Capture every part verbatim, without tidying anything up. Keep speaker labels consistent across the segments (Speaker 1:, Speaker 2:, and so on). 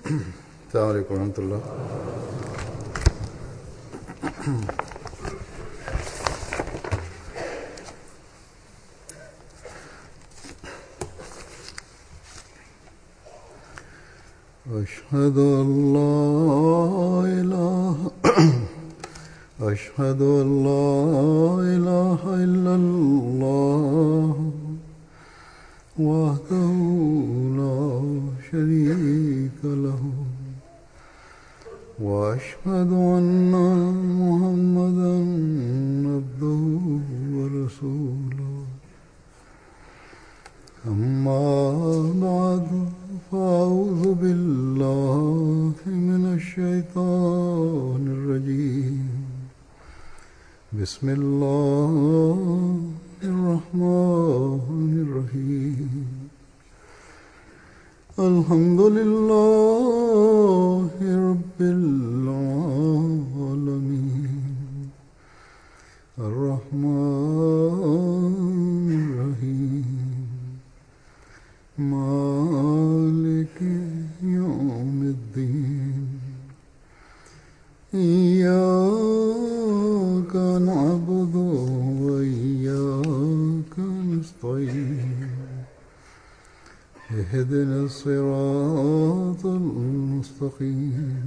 Speaker 1: السلام عليڪم ورحمة الله. أشهد أن لا إله أشهد أن لا إله إلا الله وحده لا شريك له وأشهد أن محمدا عبده ورسوله. أما بعد فأعوذ بالله من الشيطان الرجيم. بسم الله الرحمن الرحيم. الحمد لله رب العالمين الرحمن الرحيم مالك يوم الدين. إياك نعبد وإياك نستعين. اهدنا الصراط المستقيم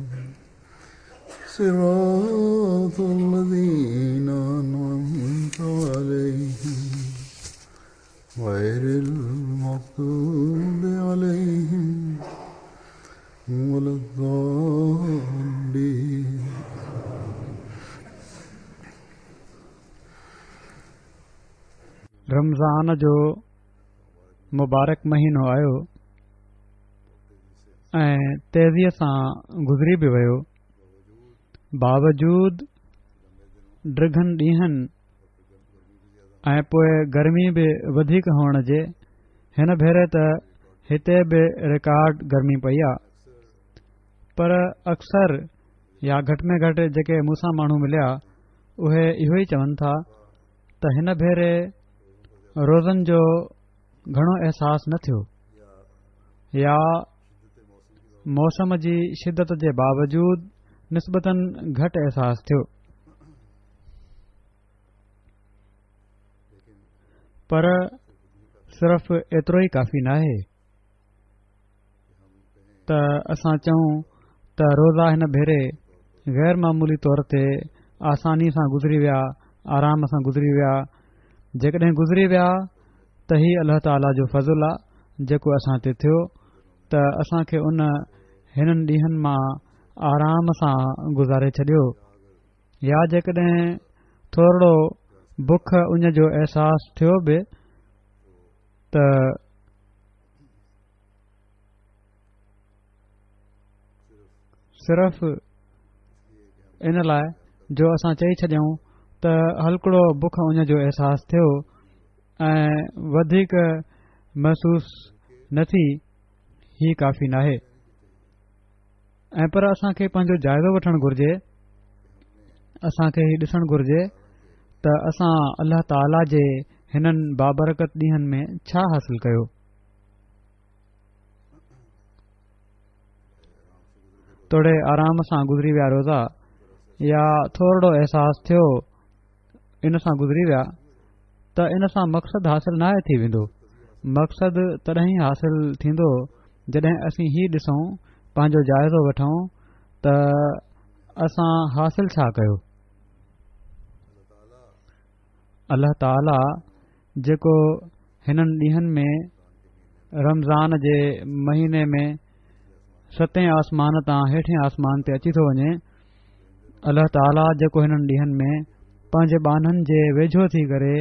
Speaker 1: صراط الذين أنعمت عليهم غير المغضوب عليهم ولا الضالين.
Speaker 2: رمضان جو مبارڪ مهينو آيو ۽ تيزيءَ سان گذري به ويو. باوجود ڊگهن ڏينهن ۽ پوءِ گرمي به وڌيڪ هئڻ جي، هن ڀيري ته هتي به رڪارڊ گرمي پئي آ. پر اڪثر يا گهٽ ۾ گهٽ جيڪي مون سان ماڻهو مليا اهي اهو ئي چون ٿا ته هن ڀيري روزن جو گهڻو احساس نه ٿيو يا موسم جي شدت جي باوجود نسبتاً گهٽ احساس ٿيو. پر صرف ايترو ئي ڪافي ناهي ته اسان چئون ته روزا هن ڀيري غير معمولي طور تي آساني سان گذري ويا، آرام سان گذري ويا. جيڪڏهن گذري ويا ته هي الله تعاليٰ جو فضل آ جيڪو اسان تي ٿيو ته اسان کي ان هنن ڏينهن مان آرام سان گذاري ڇڏيو. يا جيڪڏهن ٿورڙو بک اڃ جو احساس ٿيو به ته صرف ان لاءِ جو اسان چئي ڇڏيون ته هلڪڙو بک اڃ جو احساس ٿيو ۽ وڌيڪ محسوس نه ٿي، هي ڪافي ناهي. ۽ پر اسان کي پنهنجو جائزو وٺڻ گهرجي، اسان کي هي ڏسڻ گهرجي ته اسان الله تعاليٰ جي هنن بابرڪت ڏينهن ۾ ڇا حاصل ڪيو. توڙي آرام سان گذري ويا روزا يا ٿورڙو احساس ٿيو ان سان گذري ويا ته ان سان مقصد حاصل ناهي ٿي ويندو. مقصد تڏهن ئي حاصل ٿيندو جڏهن اسين هي ڏسون، پنهنجو جائزو وٺون ته اسان حاصل ڇا ڪيو. الله تعاليٰ جيڪو هنن ڏينهن ۾ رمضان جي مهيني ۾ ستين آسمان تان هيٺين آسمان تي اچي ٿو وڃي، الله تعاليٰ جيڪو هنن ڏينهن ۾ پنهنجي ٻانهن جي ويجهو ٿي ڪري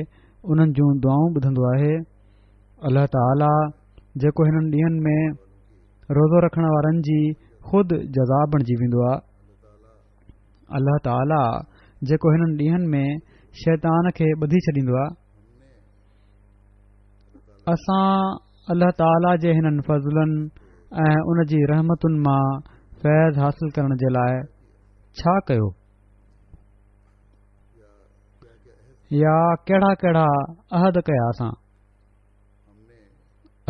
Speaker 2: انهن جون دعائون ٻڌندو آهي، الله تعاليٰ جيڪو هنن ڏينهن ۾ روزو رکڻ وارن جي خود جزا بڻجي ويندو آهي، الله تعاليٰ جيڪو هنن ڏينهن ۾ شيطان کي ٻڌي ڇڏيندو آهي. اسان الله تعاليٰ جي هنن فضلن ۽ ان جي رحمتن مان فيض حاصل ڪرڻ جي لاءِ ڇا ڪيو يا ڪهڙا ڪهڙا عهد ڪيا اسان؟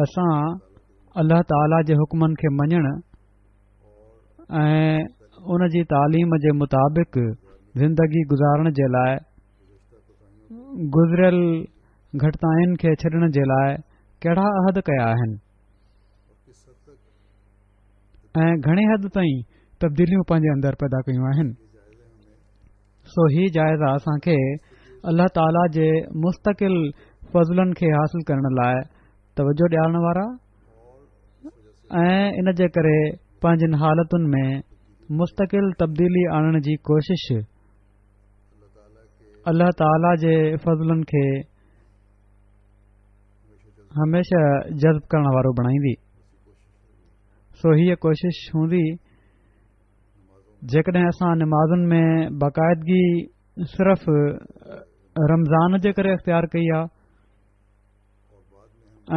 Speaker 2: اسان الله تعاليٰ جي حڪمن کي مڃڻ ۽ ان جي تعليم جي مطابق زندگي گذارڻ جي لاء گذريل گهٽتائين کي ڇڏڻ جي لاء ڪهڙا عهد ڪيا آهن ۽ گهڻي حد تائين تبديليون پنهنجي اندر پيدا ڪيون آهن. سو هي جائزا اسان کي الله تعاليٰ جي مستقل فضلن کي حاصل ڪرڻ لاء توجه ڏيارڻ وارا ۽ ان جي ڪري پنهنجين حالتن ۾ مستقل تبديلي آڻڻ جي ڪوشش الله تعاليٰ جي فضلن کي هميشه جذب ڪرڻ وارو بڻائيندي. سو هيء ڪوشش هوندي جيڪڏهن اسان نمازن ۾ باقاعدگي صرف رمضان جي ڪري اختيار ڪئي آ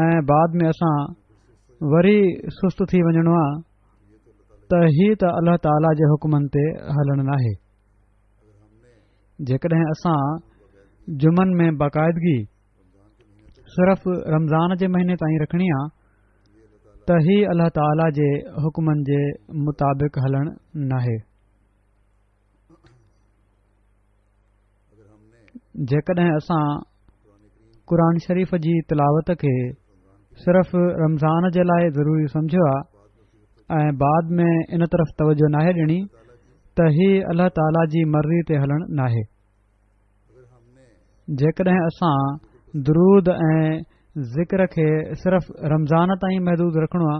Speaker 2: ۽ بعد ۾ اسان وري سست ٿي وڃڻو آ ته هي ته الله تعاليٰ جي حڪمن تي هلڻ ناهي. جيڪڏهن اسان جمعن ۾ باقاعدگي صرف رمضان جي مهيني تائين رکڻي آ ته هي الله تعاليٰ جي حڪمن جي مطابق هلڻ ناهي. جيڪڏهن اسان قرآن شريف جي تلاوت کي صرف رمضان جي لاء ضروري سمجهيو آ ۽ بعد ۾ ان طرف توجه ناهي ڏيڻي ته هي الله تعاليٰ جي مرضي تي هلڻ ناهي. جيڪڏهن اسان درود ۽ ذڪر کي صرف رمضان تائين محدود رکڻو آ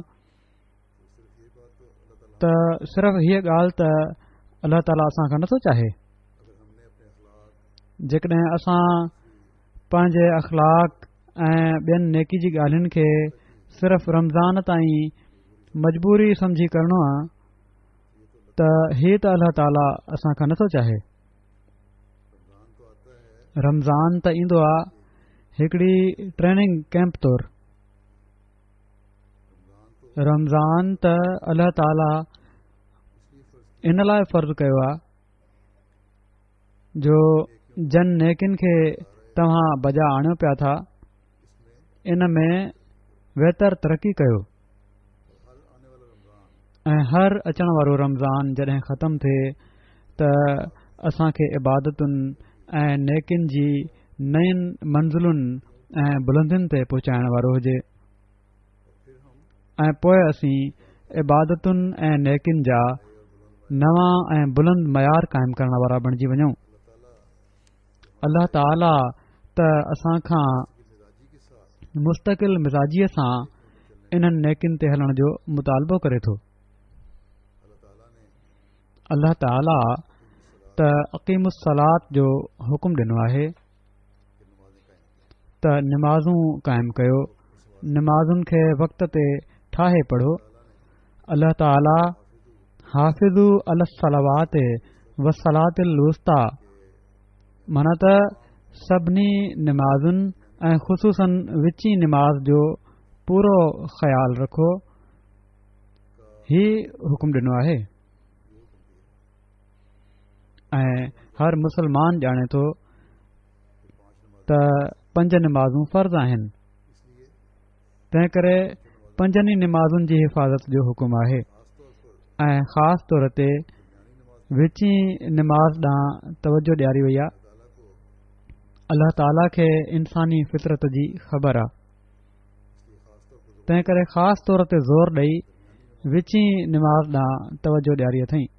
Speaker 2: ته صرف هيء ڳالهه ته الله تعاليٰ اسان کان نٿو چاهي. جيڪڏهن اسان پنهنجي اخلاق ۽ ٻين نيڪي جي ڳالهين کي صرف رمضان تائين مجبوري سمجهي ڪرڻو آ ته هي ته الله تعاليٰ اسان کان نٿو چاهي. رمضان ته ايندو آ هڪڙي ٽريننگ ڪيمپ طور. رمضان ته الله تعاليٰ ان لاء فرض ڪيو آ جو جن نيڪين کي توهان بجا آڻيو پيا ٿا ان ۾ ويتر ترقي ڪيو ۽ هر اچڻ وارو رمضان جڏهن ختم ٿئي ته اسان کي عبادتن ۽ نيڪين جي نين منزلن ۽ بلندين تي پهچائڻ وارو هجي ۽ پوء اسين عبادتن ۽ نيڪين جا نوان ۽ بلند معيار قائم ڪرڻ وارا بڻجي وڃون. الله تعاليٰ ته اسان کان مستقل مزاجيء سان انهن نيڪين تي هلڻ جو مطالبو ڪري ٿو. الله تعاليٰ ته اقيموا الصلاة جو حڪم ڏنو آهي ته نمازون قائم ڪيو، نمازن کي وقت تي ٺاهي پڙهو. الله تعاليٰ حافظوا علي الصلوات والصلاة الوسطيٰ معنيٰ ته سڀني نمازن ۽ خصوصاً وچين نماز جو پورو خيال رکو، هي حڪم ڏنو آهي ۽ هر مسلمان ڄاڻي ٿو ته پنج نمازون فرض آهن، تنهن ڪري پنجن ئي نمازن جي حفاظت جو حڪم آهي ۽ خاص طور تي وچين نماز ڏانهن توجه ڏياري وئي آهي. الله تعاليٰ کي انساني فطرت جي خبر آهي، تنهن ڪري خاص طور تي زور ڏئي وچين نماز ڏانهن توجه ڏياري اٿئين.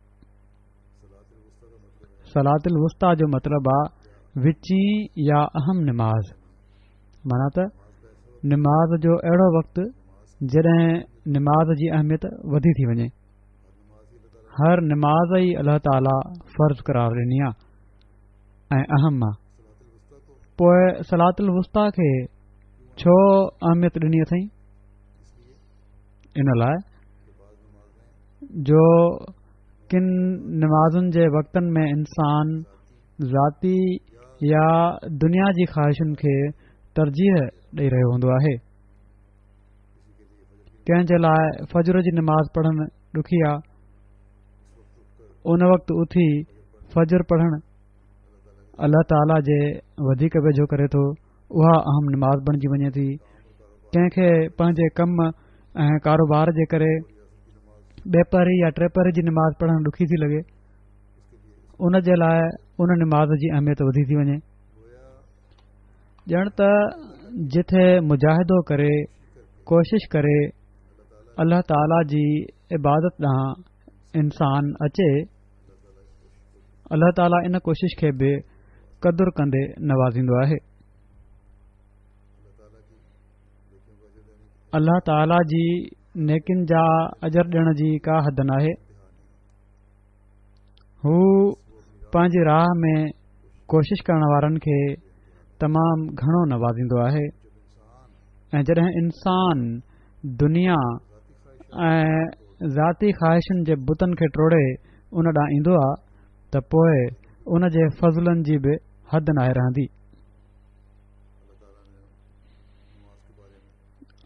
Speaker 2: صلاة الوسطيٰ جو مطلب آ وچين يا اهم نماز، معنيٰ ته نماز جو اهڙو وقت جڏهن نماز جي اهميت وڌي ٿي وڃي. هر نماز ئي الله تعاليٰ فرض قرار ڏني آ ۽ اهم آ، پوء صلاة الوسطيٰ کي ڇو اهميت ڏني اٿئين؟ ان لاء جو ڪن نمازن جي وقتن ۾ انسان ذاتي يا دنيا جي خواهشن کي ترجيح ڏئي رهيو هوندو آهي. ڪنهن جي لاء فجر جي نماز پڙهڻ ڏکي آ، ان وقت اٿي فجر پڙهڻ الله تعاليٰ جي وڌيڪ ويجهو ڪري ٿو، اها اهم نماز بڻجي وڃي ٿي. ڪنهن کي پنهنجي ڪم ۽ ڪاروبار جي ڪري ٻپهري يا ٽيپهري جي نماز پڙهڻ ڏکي ٿي لڳي، ان جي لاء ان نماز جي اهميت وڌي ٿي وڃي. ڄڻ ته جٿي مجاهدو ڪري، ڪوشش ڪري الله تعاليٰ جي عبادت ڏانهن انسان اچي، الله تعاليٰ ان ڪوشش کي به قدر ڪندي نوازيندو آهي. الله تعاليٰ جي نيڪين جا اجر ڏيڻ جي ڪا حد ناهي. هو پنهنجي راهه ۾ ڪوشش ڪرڻ وارن کي تمام گهڻو نوازيندو آهي ۽ جڏهن انسان دنيا ۽ ذاتي خواهشن جي بتن کي ٽوڙي ان ڏانهن ايندو آهي ته پوء ان جي فضلن جي به حد ناهي رهندي.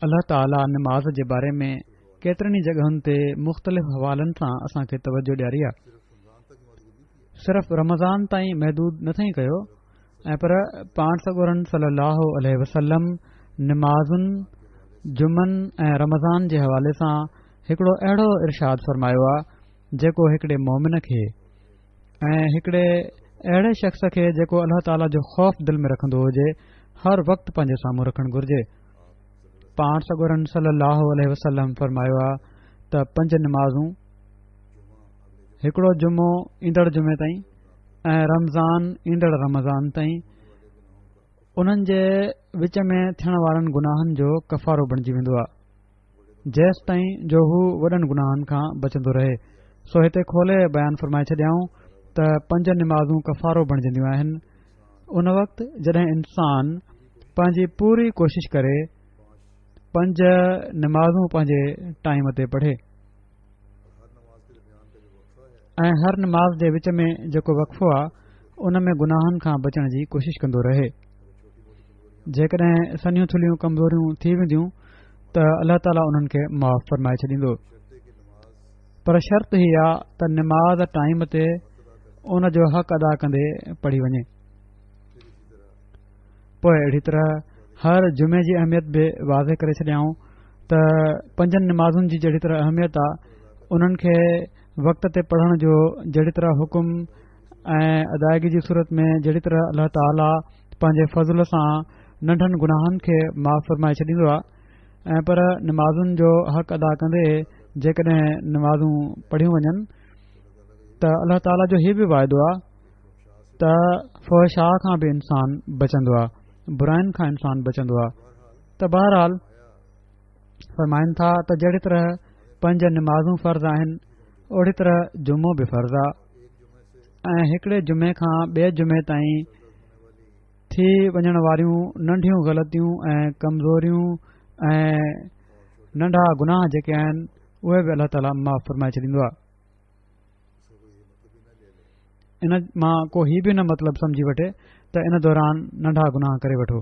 Speaker 2: الله تعاليٰ نماز جي باري ۾ ڪيترن ئي جڳهن تي مختلف حوالن سان اسان کي توجه ڏياري آهي. صرف رمضان تائين محدود نه ٿئي ڪيو ۽ پر پاڻ سڳورن صلي الله عليه وسلم نمازن، جمعن ۽ رمضان جي حوالي سان هڪڙو اهڙو ارشاد فرمايو آهي جيڪو هڪڙي مومن کي ۽ هڪڙي اهڙي شخص کي جيڪو الله تعاليٰ جو خوف دل ۾ رکندو هجي هر وقت پنهنجي سامهون رکڻ گهرجي. پاڻ سڳورن صلي الله عليه وسلم فرمايو آهي ته پنج نمازون، هڪڙو جمعو ايندڙ جمعي تائين ۽ رمضان ايندڙ رمضان تائين، انهن جي وچ ۾ ٿيڻ وارن گناهن جو ڪفارو بڻجي ويندو آهي جيستائين جو هو وڏن گناهن کان بچندو رهي. سو هتي کولي بيان فرمائي ڇڏيائون ته پنج نمازون ڪفارو بڻجنديون آهن ان وقت جڏهن انسان پنهنجي پوري ڪوشش ڪري پنج نمازون پنهنجي ٽائيم تي پڙهي ۽ هر نماز جي وچ ۾ جيڪو وقفو آهي ان ۾ گناهن کان بچڻ جي ڪوشش ڪندو رهي. جيڪڏهن سنهيون ٿلهيون ڪمزوريون ٿي وينديون ته الله تعاليٰ انهن کي معاف فرمائي ڇڏيندو، پر شرط هي آ ته نماز ٽائيم تي ان جو حق ادا ڪندي پڙهي وڃي. پوء اهڙي طرح هر جمعي جي اهميت به واضح ڪري ڇڏيائون ته پنجن نمازن جي جهڙي طرح اهميت آ، انهن کي وقت تي پڙهڻ جو جهڙي طرح حڪم ۽ ادائگي جي صورت ۾ جهڙي طرح الله تعاليٰ پنهنجي فضل سان ننڍن گناهن کي معاف فرمائي ڇڏيندو آ ۽ پر نمازن جو حق ادا ڪندي جيڪڏهن نمازون پڙهيون وڃن ته الله تعاليٰ جو هي به واعدو آ ته فحشاء کان به انسان بچندو آ، براين کان انسان بچندو آ. ته بهرحال فرمائن ٿا ته جهڙي طرح پنج نمازون فرض آهن اوڙي طرح جمعو به فرض آ ۽ هڪڙي جمعي کان ٻئي جمعي تائين ٿي وڃڻ واريون ننڍيون غلطيون ۽ ڪمزوريون ۽ ننڍا گناهه جيڪي آهن اهي به الله تعاليٰ معاف فرمائي ڇڏيندو آ. ان مان ڪو هي به نه مطلب سمجهي وٺي ته ان دوران ننڍا گناهه ڪري وٺو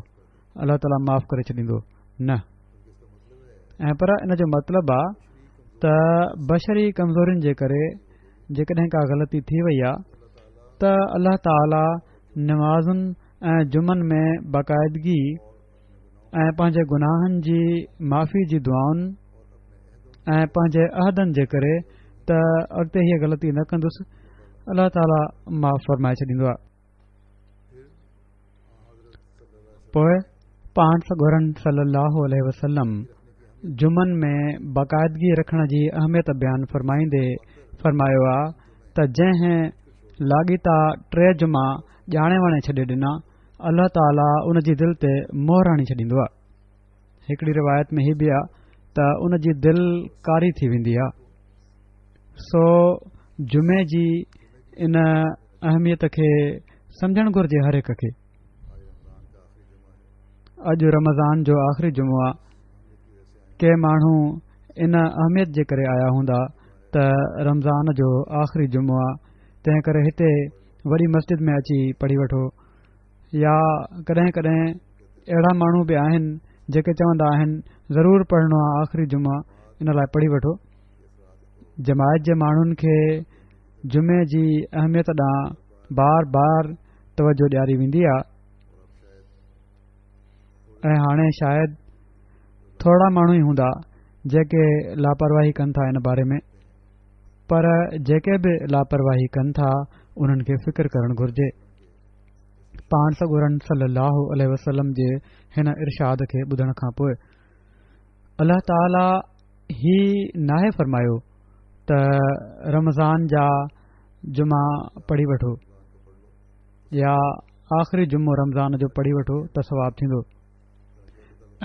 Speaker 2: الله تعاليٰ معاف ڪري ڇڏيندو، نه، ۽ پر ان جو مطلب آ ته بشري ڪمزورين جي ڪري جيڪڏهن ڪا غلطي ٿي وئي آ ته الله تعاليٰ نمازن ۽ جمعن ۾ باقاعدگي ۽ پنهنجي گناهن جي معافي جي دعائن ۽ پنهنجي عهدن جي ڪري ته اڳتي هيء غلطي نه ڪندس، الله تعاليٰ معاف فرمائي ڇڏيندو آهي. پوء پاڻ سڳورن صلي الله عليه وسلم جمعن ۾ باقاعدگي رکڻ جي اهميت بيان فرمائيندي فرمايو آ ته جنهن لاڳيتا ٽي جمعا ڄاڻي واڻي ڇڏي ڏنا، الله تعاليٰ ان جي دل تي مهر هڻي ڇڏيندو آ. هڪڙي روايت ۾ هي به آ ته ان جي دل ڪاري ٿي ويندي آ. سو جمعي جي ان اهميت کي سمجهڻ گهرجي هر هڪ کي. اڄ رمضان جو آخري جمعو آ. ڪي ماڻهو ان اهميت جي ڪري آيا هوندا ته رمضان جو آخري جمعو آ، تنهن ڪري هتي وڏي مسجد ۾ اچي پڙهي وٺو. يا ڪڏهن ڪڏهن اهڙا ماڻهو به آهن جيڪي چوندا آهن ضرور پڙهڻو آ آخري جمعو، ان لاء پڙهي وٺو. جماعت جي ماڻهن کي جمعي جي اهميت ڏانهن بار بار توجه ڏياري ويندي آ ۽ هاڻي شايد ٿورڙا ماڻهو ئي هوندا جيڪي لاپرواهي ڪن ٿا ان باري ۾. پر جيڪي به لاپرواهي ڪن ٿا انهن کي فڪر ڪرڻ گهرجي. پاڻ سڳورن صلي الله عليه وسلم جي هن ارشاد کي ٻڌڻ کان پوء الله تعاليٰ هي ناهي فرمايو ته رمضان جا جمعا پڙهي وٺو يا آخري جمعو رمضان جو پڙهي وٺو ته ثواب ٿيندو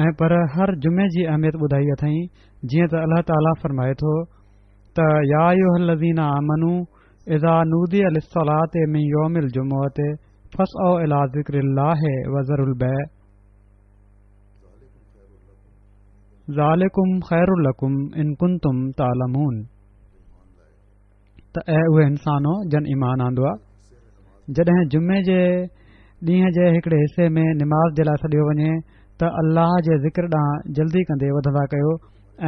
Speaker 2: ۽ پر هر جمعي جي اهميت ٻڌائي اٿائين. جيئن ته الله تعاليٰ فرمائي ٿو ته يا ايها الذين آمنوا اذا نودي للصلاة من يوم الجمعة فاسعوا الى ذڪر الله وذروا البيع ذلڪم خير لڪم ان ڪنتم تعلمون. ته اي اهي انسانو جن ايمان آندو آ، جڏهن جمعي جي ڏينهن جي هڪڙي حصي ۾ نماز جي لاء سڏيو وڃي ته الله جي ذڪر ڏانهن جلدي ڪندي وڌندا ڪيو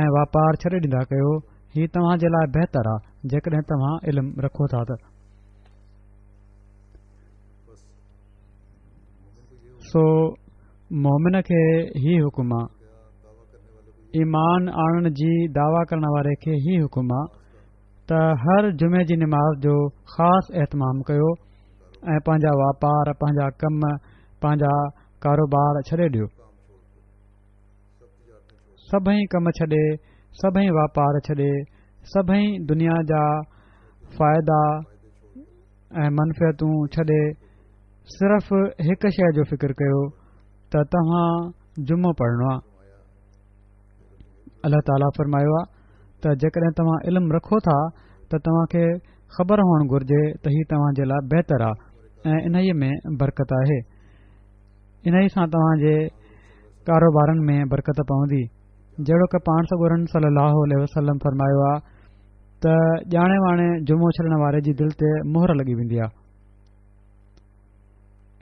Speaker 2: ۽ واپار ڇڏي ڏيندا ڪيو، هي توهان جي لاء بهتر آ جيڪڏهن توهان علم رکو ٿا ته. سو مومن کي هي حڪم آ، ايمان آڻڻ جي دعويٰ ڪرڻ واري کي هي حڪم آ ته هر جمعي جي نماز جو خاص اهتمام ڪيو ۽ پنهنجا واپار، پنهنجا ڪم، پنهنجا ڪاروبار ڇڏي ڏيو. سڀئي ڪم ڇڏي، سڀئي واپار ڇڏي، سڀئي دنيا جا فائدا ۽ منفعتون ڇڏي صرف هڪ شيء جو فڪر ڪيو ته توهان جمعو پڙهڻو آهي. الله تعاليٰ فرمايو آهي ته جيڪڏهن توهان علم رکو ٿا ته توهان کي خبر هئڻ گهرجي ته هي توهان جي لاء بهتر آهي ۽ انهيء ۾ برڪت آهي. انهيء سان توهان جي ڪاروبارن ۾ برڪت پوندي. جهڙوڪ پاڻ سڳورن صلي الله عليه وسلم فرمايو آهي ته ڄاڻي واڻي جمعو ڇڏڻ واري جي دل تي مهر لڳي ويندي آهي.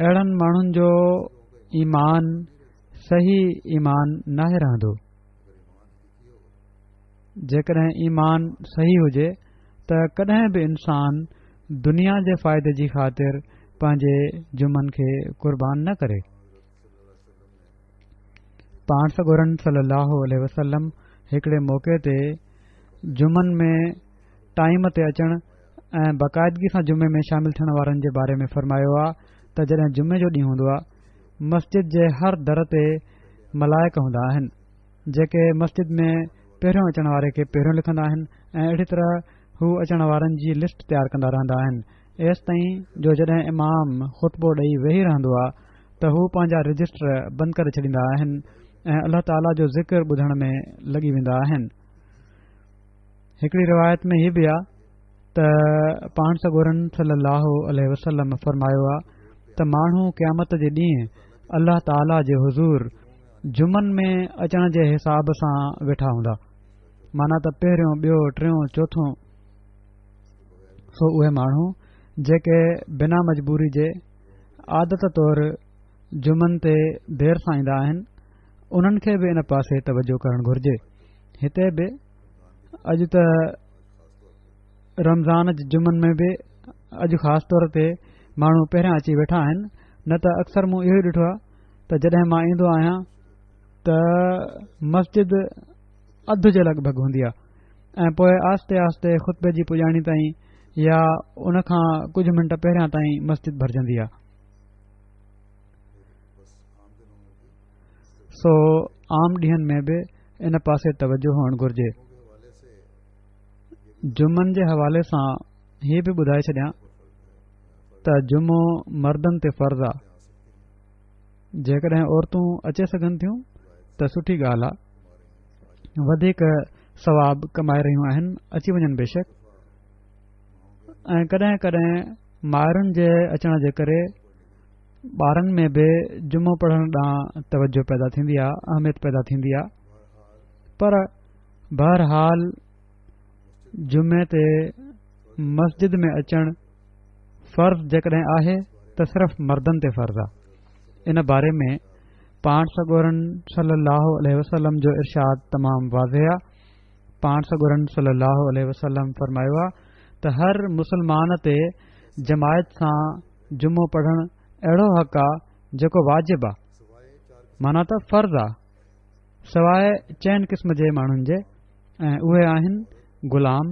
Speaker 2: اهڙن ماڻهن جو ايمان صحيح ايمان ناهي رهندو. جيڪڏهن ايمان صحيح هجي ته ڪڏهن به انسان دنيا جي فائدي جي خاطر پنهنجي جمعن کي قربان نه ڪري. پاڻ سڳورن صلي الله عليه وسلم هڪڙي موقعي تي جمعن ۾ ٽائيم تي اچڻ ۽ باقاعدگي سان جمعي ۾ شامل ٿيڻ وارن جي باري ۾ فرمايو آ ته جڏهن جمعي جو ڏينهن هوندو آ مسجد جي هر در تي ملائڪ هوندا آهن جيڪي مسجد ۾ پهريون اچڻ واري کي پهريون لکندا آهن ۽ اهڙي طرح هو اچڻ وارن جي لسٽ تيار ڪندا رهندا آهن ايستائين جو جڏهن امام خطبو ڏئي ويهي رهندو آ ته هو پنهنجا رجسٽر بند ڪري ڇڏيندا آهن ۽ الله تعاليٰ جو ذڪر ٻڌڻ ۾ لڳي ويندا آهن. هڪڙي روايت ۾ هي به آ ته پاڻ سڳورن صلي الله عليه وسلم فرمايو آ ته ماڻهو قيامت جي ڏينهن الله تعاليٰ جي حضور جمعن ۾ اچڻ جي حساب سان ويٺا هوندا، معنيٰ ته پهريون، ٻيو، ٽيون، چوٿون. سو اهي ماڻهو جيڪي بنا مجبوري جي عادت طور جمعن تي دير سان ايندا آهن انهن کي به ان پاسي توجه ڪرڻ گهرجي. هتي به اڄ ته رمضان جي جمعن ۾ به اڄ خاص طور تي ماڻهو پهريان اچي ويٺا آهن، نه ته اڪثر مون اهو ئي ڏٺو آهي ته جڏهن مان ايندو آهيان ته مسجد اڌ جي لڳ ڀڳ هوندي آهي ۽ پوء آهستي آهستي خطبي جي پڄاڻي تائين يا ان کان ڪجهه منٽ پهريان تائين مسجد ڀرجندي آهي. سو عام ڏينهن ۾ به ان پاسي توجه هئڻ گهرجي. جمعن جي حوالي سان هي به ٻڌائي ڇڏيان ته جمعو مردن تي فرض آ، جيڪڏهن عورتون اچي سگهن ٿيون ته سٺي ڳالهه آ، وڌيڪ ثواب ڪمائي رهيون آهن، اچي وڃن بيشڪ. ۽ ڪڏهن ڪڏهن مائرن جي اچڻ جي ڪري ٻارن ۾ به جمعو پڙهڻ ڏانهن توجه پيدا ٿيندي آ، اهميت پيدا ٿيندي آ، پر بهرحال جمعي تي مسجد ۾ اچڻ فرض جيڪڏهن آهي ته صرف مردن تي فرض آ. ان باري ۾ پاڻ سڳورن صلي الله عليه وسلم جو ارشاد تمام واضح آ. پاڻ سڳورن صلي الله عليه وسلم فرمايو آ ته هر مسلمان تي جماعت سان جمعو پڙهڻ اهڙو حق آ جيڪو واجب آ، معنيٰ ته فرض آ، سواء چئن قسم جي ماڻهن جي، ۽ اهي آهن غلام،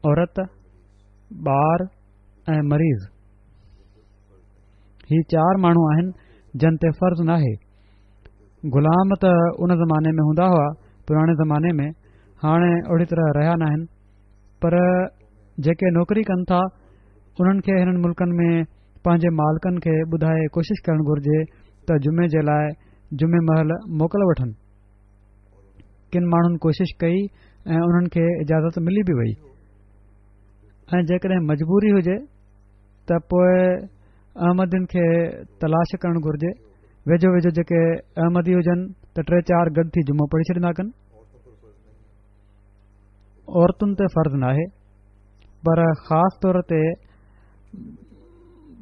Speaker 2: عورت، ٻار ۽ مريض. هي چار ماڻهو آهن جن تي فرض ناهي. غلام ته ان زماني ۾ هوندا هئا، پراڻي زماني ۾، هاڻي اهڙي طرح رهيا ناهن، پر جيڪي نوڪري ڪن ٿا انهن کي هنن ملڪن ۾ پنهنجي مالڪن کي ٻڌائي ڪوشش ڪرڻ گهرجي ته جمعي جي لاء جمعي مهل موڪل وٺن. ڪن ماڻهن ڪوشش ڪئي ۽ انهن کي اجازت ملي به وئي. ۽ جيڪڏهن مجبوري هجي ته پوء احمدين کي تلاش ڪرڻ گهرجي. ويجهو ويجهو جيڪي احمدي هجن ته ٽي چار گڏ ٿي جمعو پڙهي ڇڏيندا ڪن. عورتن تي فرض ناهي، پر خاص طور تي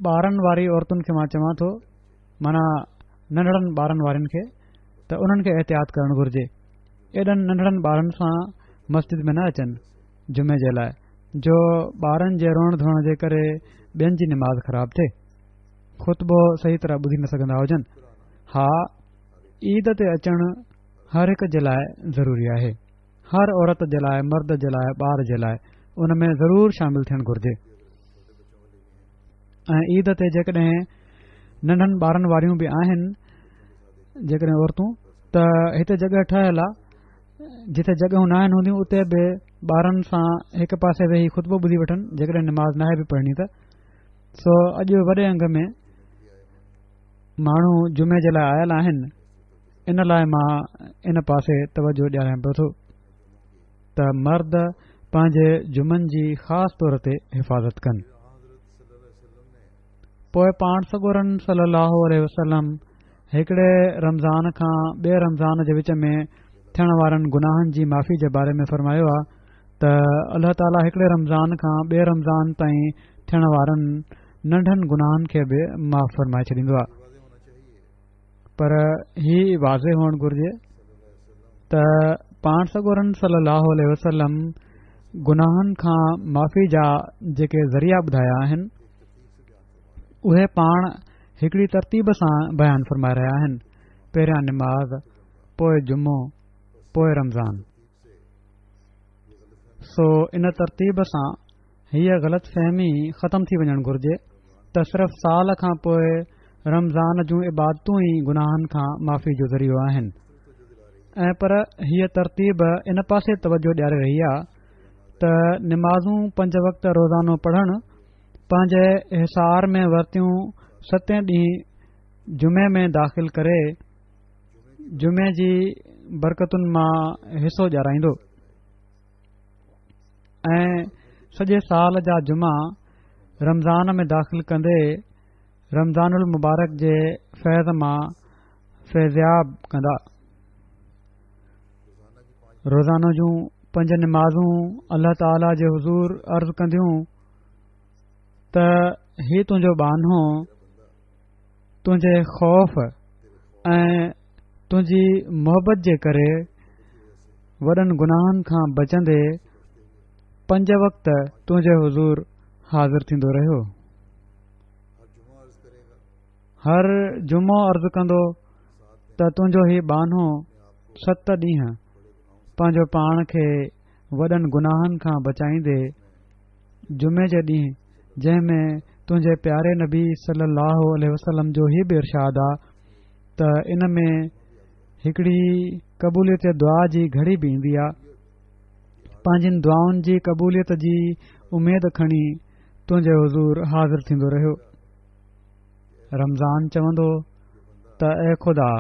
Speaker 2: ٻارن واري عورتن کي مان چوان ٿو، معنيٰ ننڍڙن ٻارن وارن کي، ته انهن کي احتياط ڪرڻ گهرجي. ايڏن ننڍڙن ٻارن سان مسجد ۾ نه اچن جمعي جي لاء، جو ٻارن جي روئڻ ڌوئڻ جي ڪري ٻين جي نماز خراب ٿئي، خطبو صحيح طرح ٻڌي نه سگهندا هجن. ها، عيد تي اچڻ هر هڪ جي لاء ضروري آهي، هر عورت جي لاء، مرد جي لاء، ٻار جي لاء، ان ۾ ضرور شامل ٿيڻ گهرجي. ۽ عيد تي جيڪڏهن ننڍن ٻارن واريون به آهن جيڪڏهن عورتون، ته هتي جڳهه ٺهيل آ، جتي جڳهيون ناهن هونديون اتي به ٻارن سان هڪ پاسي ويهي خطبو ٻڌي وٺن، جيڪڏهن نماز ناهي به پڙهڻي ته. سو اڄ وڏي انگ ۾ ماڻهو جمعي جي لاء آيل آهن، ان لاء مان ان پاسي توجه ڏياريان پيو ٿو ته مرد پنهنجي جمعن جي خاص طور تي حفاظت ڪن. پوء پاڻ سڳورن صلي الله عليه وسلم هڪڙي رمضان کان ٻئي رمضان جي وچ ۾ ٿيڻ وارن گناهن جي معافي جي باري ۾ فرمايو آ ته الله تعاليٰ هڪڙي رمضان کان ٻئي رمضان تائين ٿيڻ وارن ننڍن گناهن کي به معاف فرمائي ڇڏيندو آ. پر هي واضح هئڻ گهرجي ته پاڻ سڳورن صلي الله عليه وسلم گناهن کان معافي جا جيڪي ذريعا ٻڌايا آهن اهي پاڻ هڪڙي ترتيب سان بيان فرمائي رهيا آهن. پهريان نماز، پوء جمعو، پوء رمضان. سو ان ترتيب سان هيء غلط فهمي ختم ٿي وڃڻ گهرجي ته صرف سال کان پوء رمضان جون عبادتون ئي گناهن کان معافي جو ذريعو آهن. ۽ پر هيء ترتيب ان پاسي توجه ڏياري رهي آ ته نمازون پنج وقت روزانو پڙهڻ پنهنجي حصار ۾ ورتيون ستين ڏينهن جمعي ۾ داخل ڪري جمعي جي برڪتن مان حصو ڏيارائيندو ۽ سڄي سال جا جمعا رمضان ۾ داخل ڪندي رمضان المبارڪ جي فيض مان فيضياب ڪندا. روزانو جون پنج نمازون الله تعاليٰ جي حضور عرض ڪنديون ته هي تنهنجو ٻانهو تنهنجي خوف ۽ تنهنجي محبت جي ڪري وڏن گناهن کان بچندي پنج وقت تنهنجي حضور حاضر ٿيندو رهيو. هر جمعو عرض ڪندو ته تنهنجو هي ٻانهو ست ڏينهن پنهنجو پاڻ کي وڏن گناهن کان بچائيندي جمعي جي ڏينهن، جنهن ۾ تنهنجي پياري نبي صلي الله عليه وسلم جو هي به ارشاد آ ته ان ۾ هڪڙي قبوليت دعا جي گهڙي به ايندي آ، پنهنجين دعائن جي قبوليت جي اميد کڻي تنهنجي حضور حاضر ٿيندو رهيو. رمضان چوندو ته اي خدا،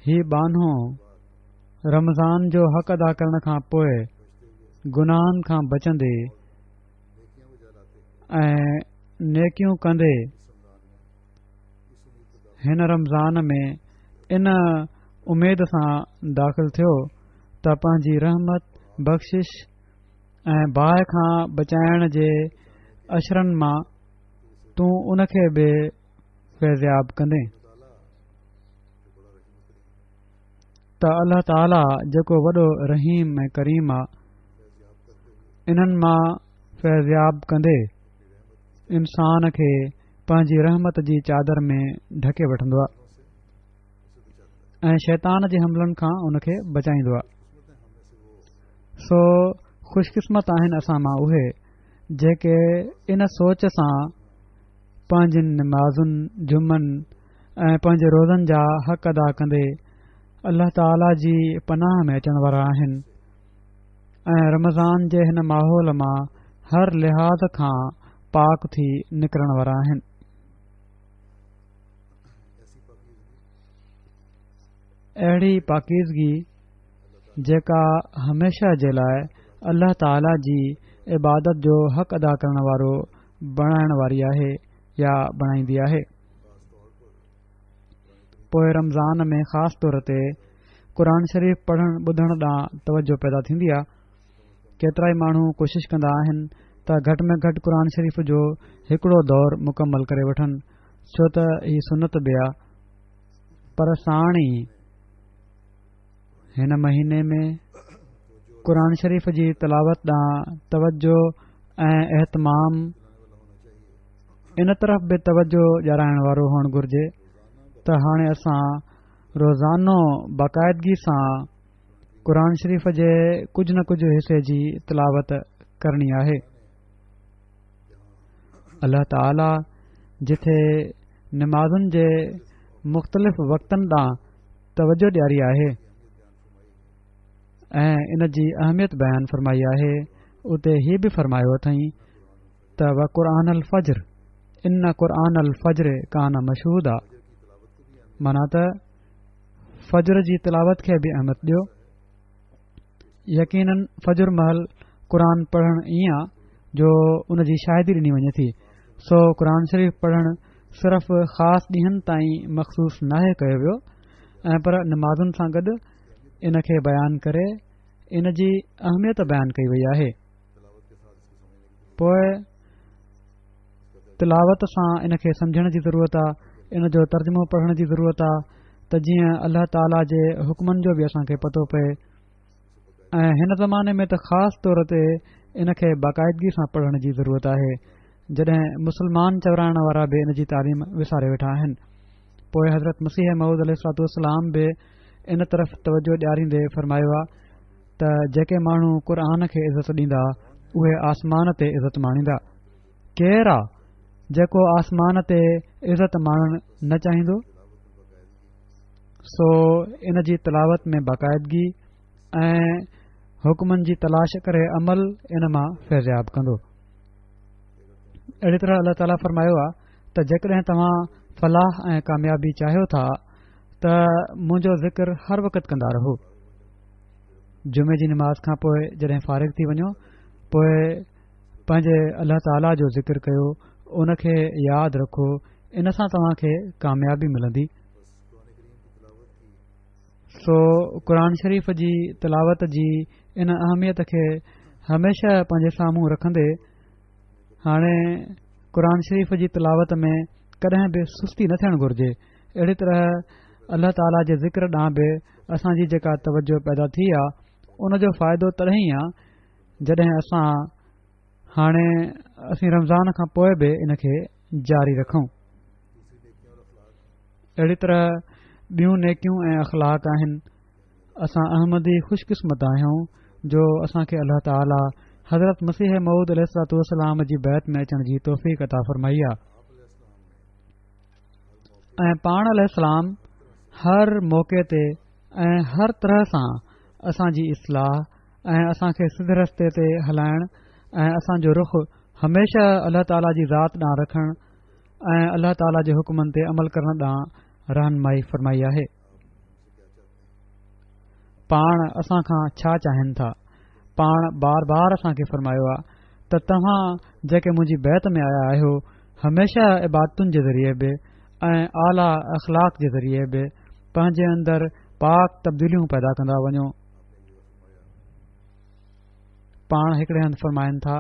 Speaker 2: هي ٻانهو رمضان جو حق ادا ڪرڻ کان پوء گناهن کان بچندي ۽ نيڪيون ڪندي هن رمضان ۾ ان اميد سان داخل ٿيو ته پنهنجي رحمت، بخشش ۽ باهه کان بچائڻ جي عشرن مان تون ان کي به فيضياب ڪندين. ته الله تعاليٰ جيڪو وڏو رحيم ۽ ڪريم آ انهن مان فيضياب ڪندي انسان کي پنهنجي رحمت جي چادر ۾ ڍڪي وٺندو آ ۽ شيطان جي حملن کان ان کي بچائيندو آ. سو خوشقسمت آهن اسان مان اهي جيڪي ان سوچ سان پنهنجين نمازن، جمعن ۽ پنهنجي روزن جا حق ادا ڪندي الله تعاليٰ جي پناهه ۾ اچڻ وارا آهن ۽ رمضان جي هن ماحول مان هر لحاظ کان پاڪ ٿي نڪرڻ وارا آهن. اهڙي پاڪيزگي جيڪا هميشه جي لاء الله تعاليٰ جي عبادت جو حق ادا ڪرڻ وارو بڻائڻ واري آهي يا بڻائيندي آهي. پوء رمضان ۾ خاص طور تي قرآن شريف پڙهڻ ٻڌڻ ڏانهن توجه پيدا ٿيندي آهي. ڪيترائي ماڻهو ڪوشش ڪندا آهن ته گهٽ ۾ گهٽ قرآن شريف جو هڪڙو دور مڪمل ڪري وٺن، ڇو ته هي سنت به آهي، پر ساڻ ئي هن مهيني ۾ قرآن شريف جي تلاوت ڏانهن توجه ۽ اهتمام ان طرف به توجه ڏيارائڻ وارو هئڻ گهرجي ته هاڻي اسان روزانو باقاعدگي سان قرآن شريف جي ڪجهه نه ڪجهه حصي جي تلاوت ڪرڻي آهي. الله تعاليٰ جٿي نمازن جي مختلف وقتن ڏانهن توجه ڏياري آهي ۽ ان جي اهميت بيان فرمائي آهي، اتي هي به فرمايو اٿئين ته وقرآن الفجر ان قرآن الفجر ڪان مشهودا، معنيٰ ته فجر جي تلاوت کي به اهميت ڏيو. يقيناً فجر مهل قرآن پڙهڻ ائين آ جو ان جي شاهدي ڏني وڃي ٿي، سو قرآن شريف پڙهڻ صرف خاص ڏينهن تائين مخصوص ناهي ڪيو ويو ۽ پر نمازن سان گڏ ان کي بيان ڪري ان جي اهميت بيان ڪئي وئي آهي. پوء تلاوت سان ان کي سمجهڻ جي ضرورت آ، ان جو ترجمو پڙهڻ جي ضرورت آ ته جيئن الله تعاليٰ جي حڪمن جو به اسان کي پتو پئي ۽ هن زماني ۾ ته خاص طور تي ان کي باقاعدگي سان پڙهڻ جي ضرورت آهي جڏهن مسلمان چورائڻ وارا به ان جي تعليم وساري ويٺا آهن. پوء حضرت مسيح موعود عليه الصلوة والسلام به ان طرف توجه ڏياريندي فرمايو آ ته جيڪي ماڻهو قرآن کي عزت ڏيندا اهي آسمان تي عزت ماڻيندا. ڪير آ جيڪو آسمان تي عزت ماڻڻ نه چاهيندو؟ سو ان جي تلاوت ۾ باقاعدگي ۽ حڪمن جي تلاش ڪري عمل ان مان فيضياب ڪندو. اهڙي طرح الله تعاليٰ فرمايو آ ته جيڪڏهن توهان فلاح ۽ ڪاميابي چاهيو ٿا ته منهنجو ذڪر هر وقت ڪندا رهو. جمعي جي نماز کان پوء جڏهن فارغ ٿي وڃو پوء پنهنجي الله تعاليٰ جو ذڪر ڪيو، ان کي ياد رکو، ان سان توهان کي ڪاميابي ملندي. سو قرآن شريف جي تلاوت جي ان اهميت کي هميشه پنهنجي سامهون رکندي هاڻي قرآن شريف جي تلاوت ۾ ڪڏهن به سستي نه ٿيڻ گهرجي. اهڙي طرح الله تعاليٰ جي ذڪر ڏانهن به اسان جي جيڪا توجه پيدا ٿي آ ان جو فائدو تڏهن ئي آ جڏهن اسان هاڻي اسين رمضان کان پوء به ان کي جاري رکون. اهڙي طرح ٻيون نيڪيون ۽ اخلاق آهن. اسان احمدي خوش قسمت آهيون جو اسان کي الله تعاليٰ حضرت مسيح موعود عليه الصلوة والسلام جي بيعت ۾ اچڻ جي توفيق عطا فرمائي آ ۽ پاڻ عليه السلام هر موقعي تي ۽ هر طرح سان اسان جي اصلاح ۽ اسان کي سڌي رستي تي هلائڻ ۽ اسان جو رخ هميشه الله تعاليٰ جي ذات ڏانهن رکڻ ۽ الله تعاليٰ جي حڪمن تي عمل ڪرڻ ڏانهن رهنمائي فرمائي آهي. پاڻ اسان کان ڇا چاهين ٿا؟ پاڻ بار بار اسان کي فرمايو آ ته توهان جيڪي منهنجي بيعت ۾ آيا آهيو هميشه عبادتن جي ذريعي به ۽ اعليٰ اخلاق جي ذريعي به پنهنجي اندر پاڪ تبديليون پيدا ڪندا وڃو. پاڻ هڪڙي هنڌ فرمائن ٿا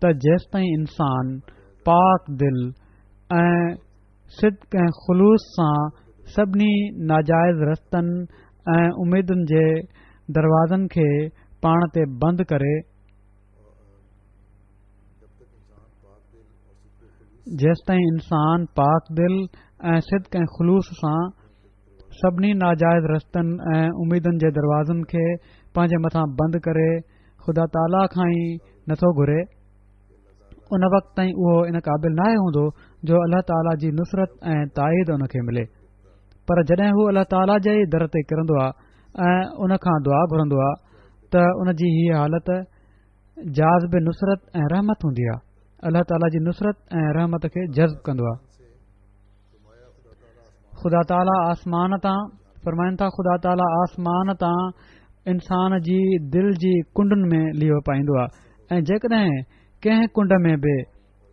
Speaker 2: ته جيستائين انسان پاڪ دل ۽ صدق ۽ خلوص سان سڀني ناجائز رستن ۽ اميدن جي دروازن کي پاڻ تي بند ڪري، جيستائين انسان پاڪ دل ۽ صدق ۽ خلوص سان سڀني ناجائز رستن ۽ اميدن جي دروازن کي پنهنجي مٿان بند ڪري خدا تعاليٰ کان ئي نٿو گهري، ان وقت تائين اهو ان قابل ناهي هوندو جو الله تعاليٰ جي نصرت ۽ تائيد ان کي ملي. پر جڏهن هو الله تعاليٰ جي ئي در تي ڪرندو آهي ۽ ان کان دعا گهرندو آهي ته ان جي هيء حالت جاذب نصرت ۽ رحمت هوندي آهي. الله تعاليٰ جي نصرت ۽ رحمت کي جذب ڪندو آهي. خدا تعاليٰ آسمان تان فرمائن ٿا خدا تعاليٰ آسمان تان انسان جي دل جي ڪنڊن ۾ ليئو پائيندو آهي ۽ جيڪڏهن ڪنهن ڪنڊ ۾ به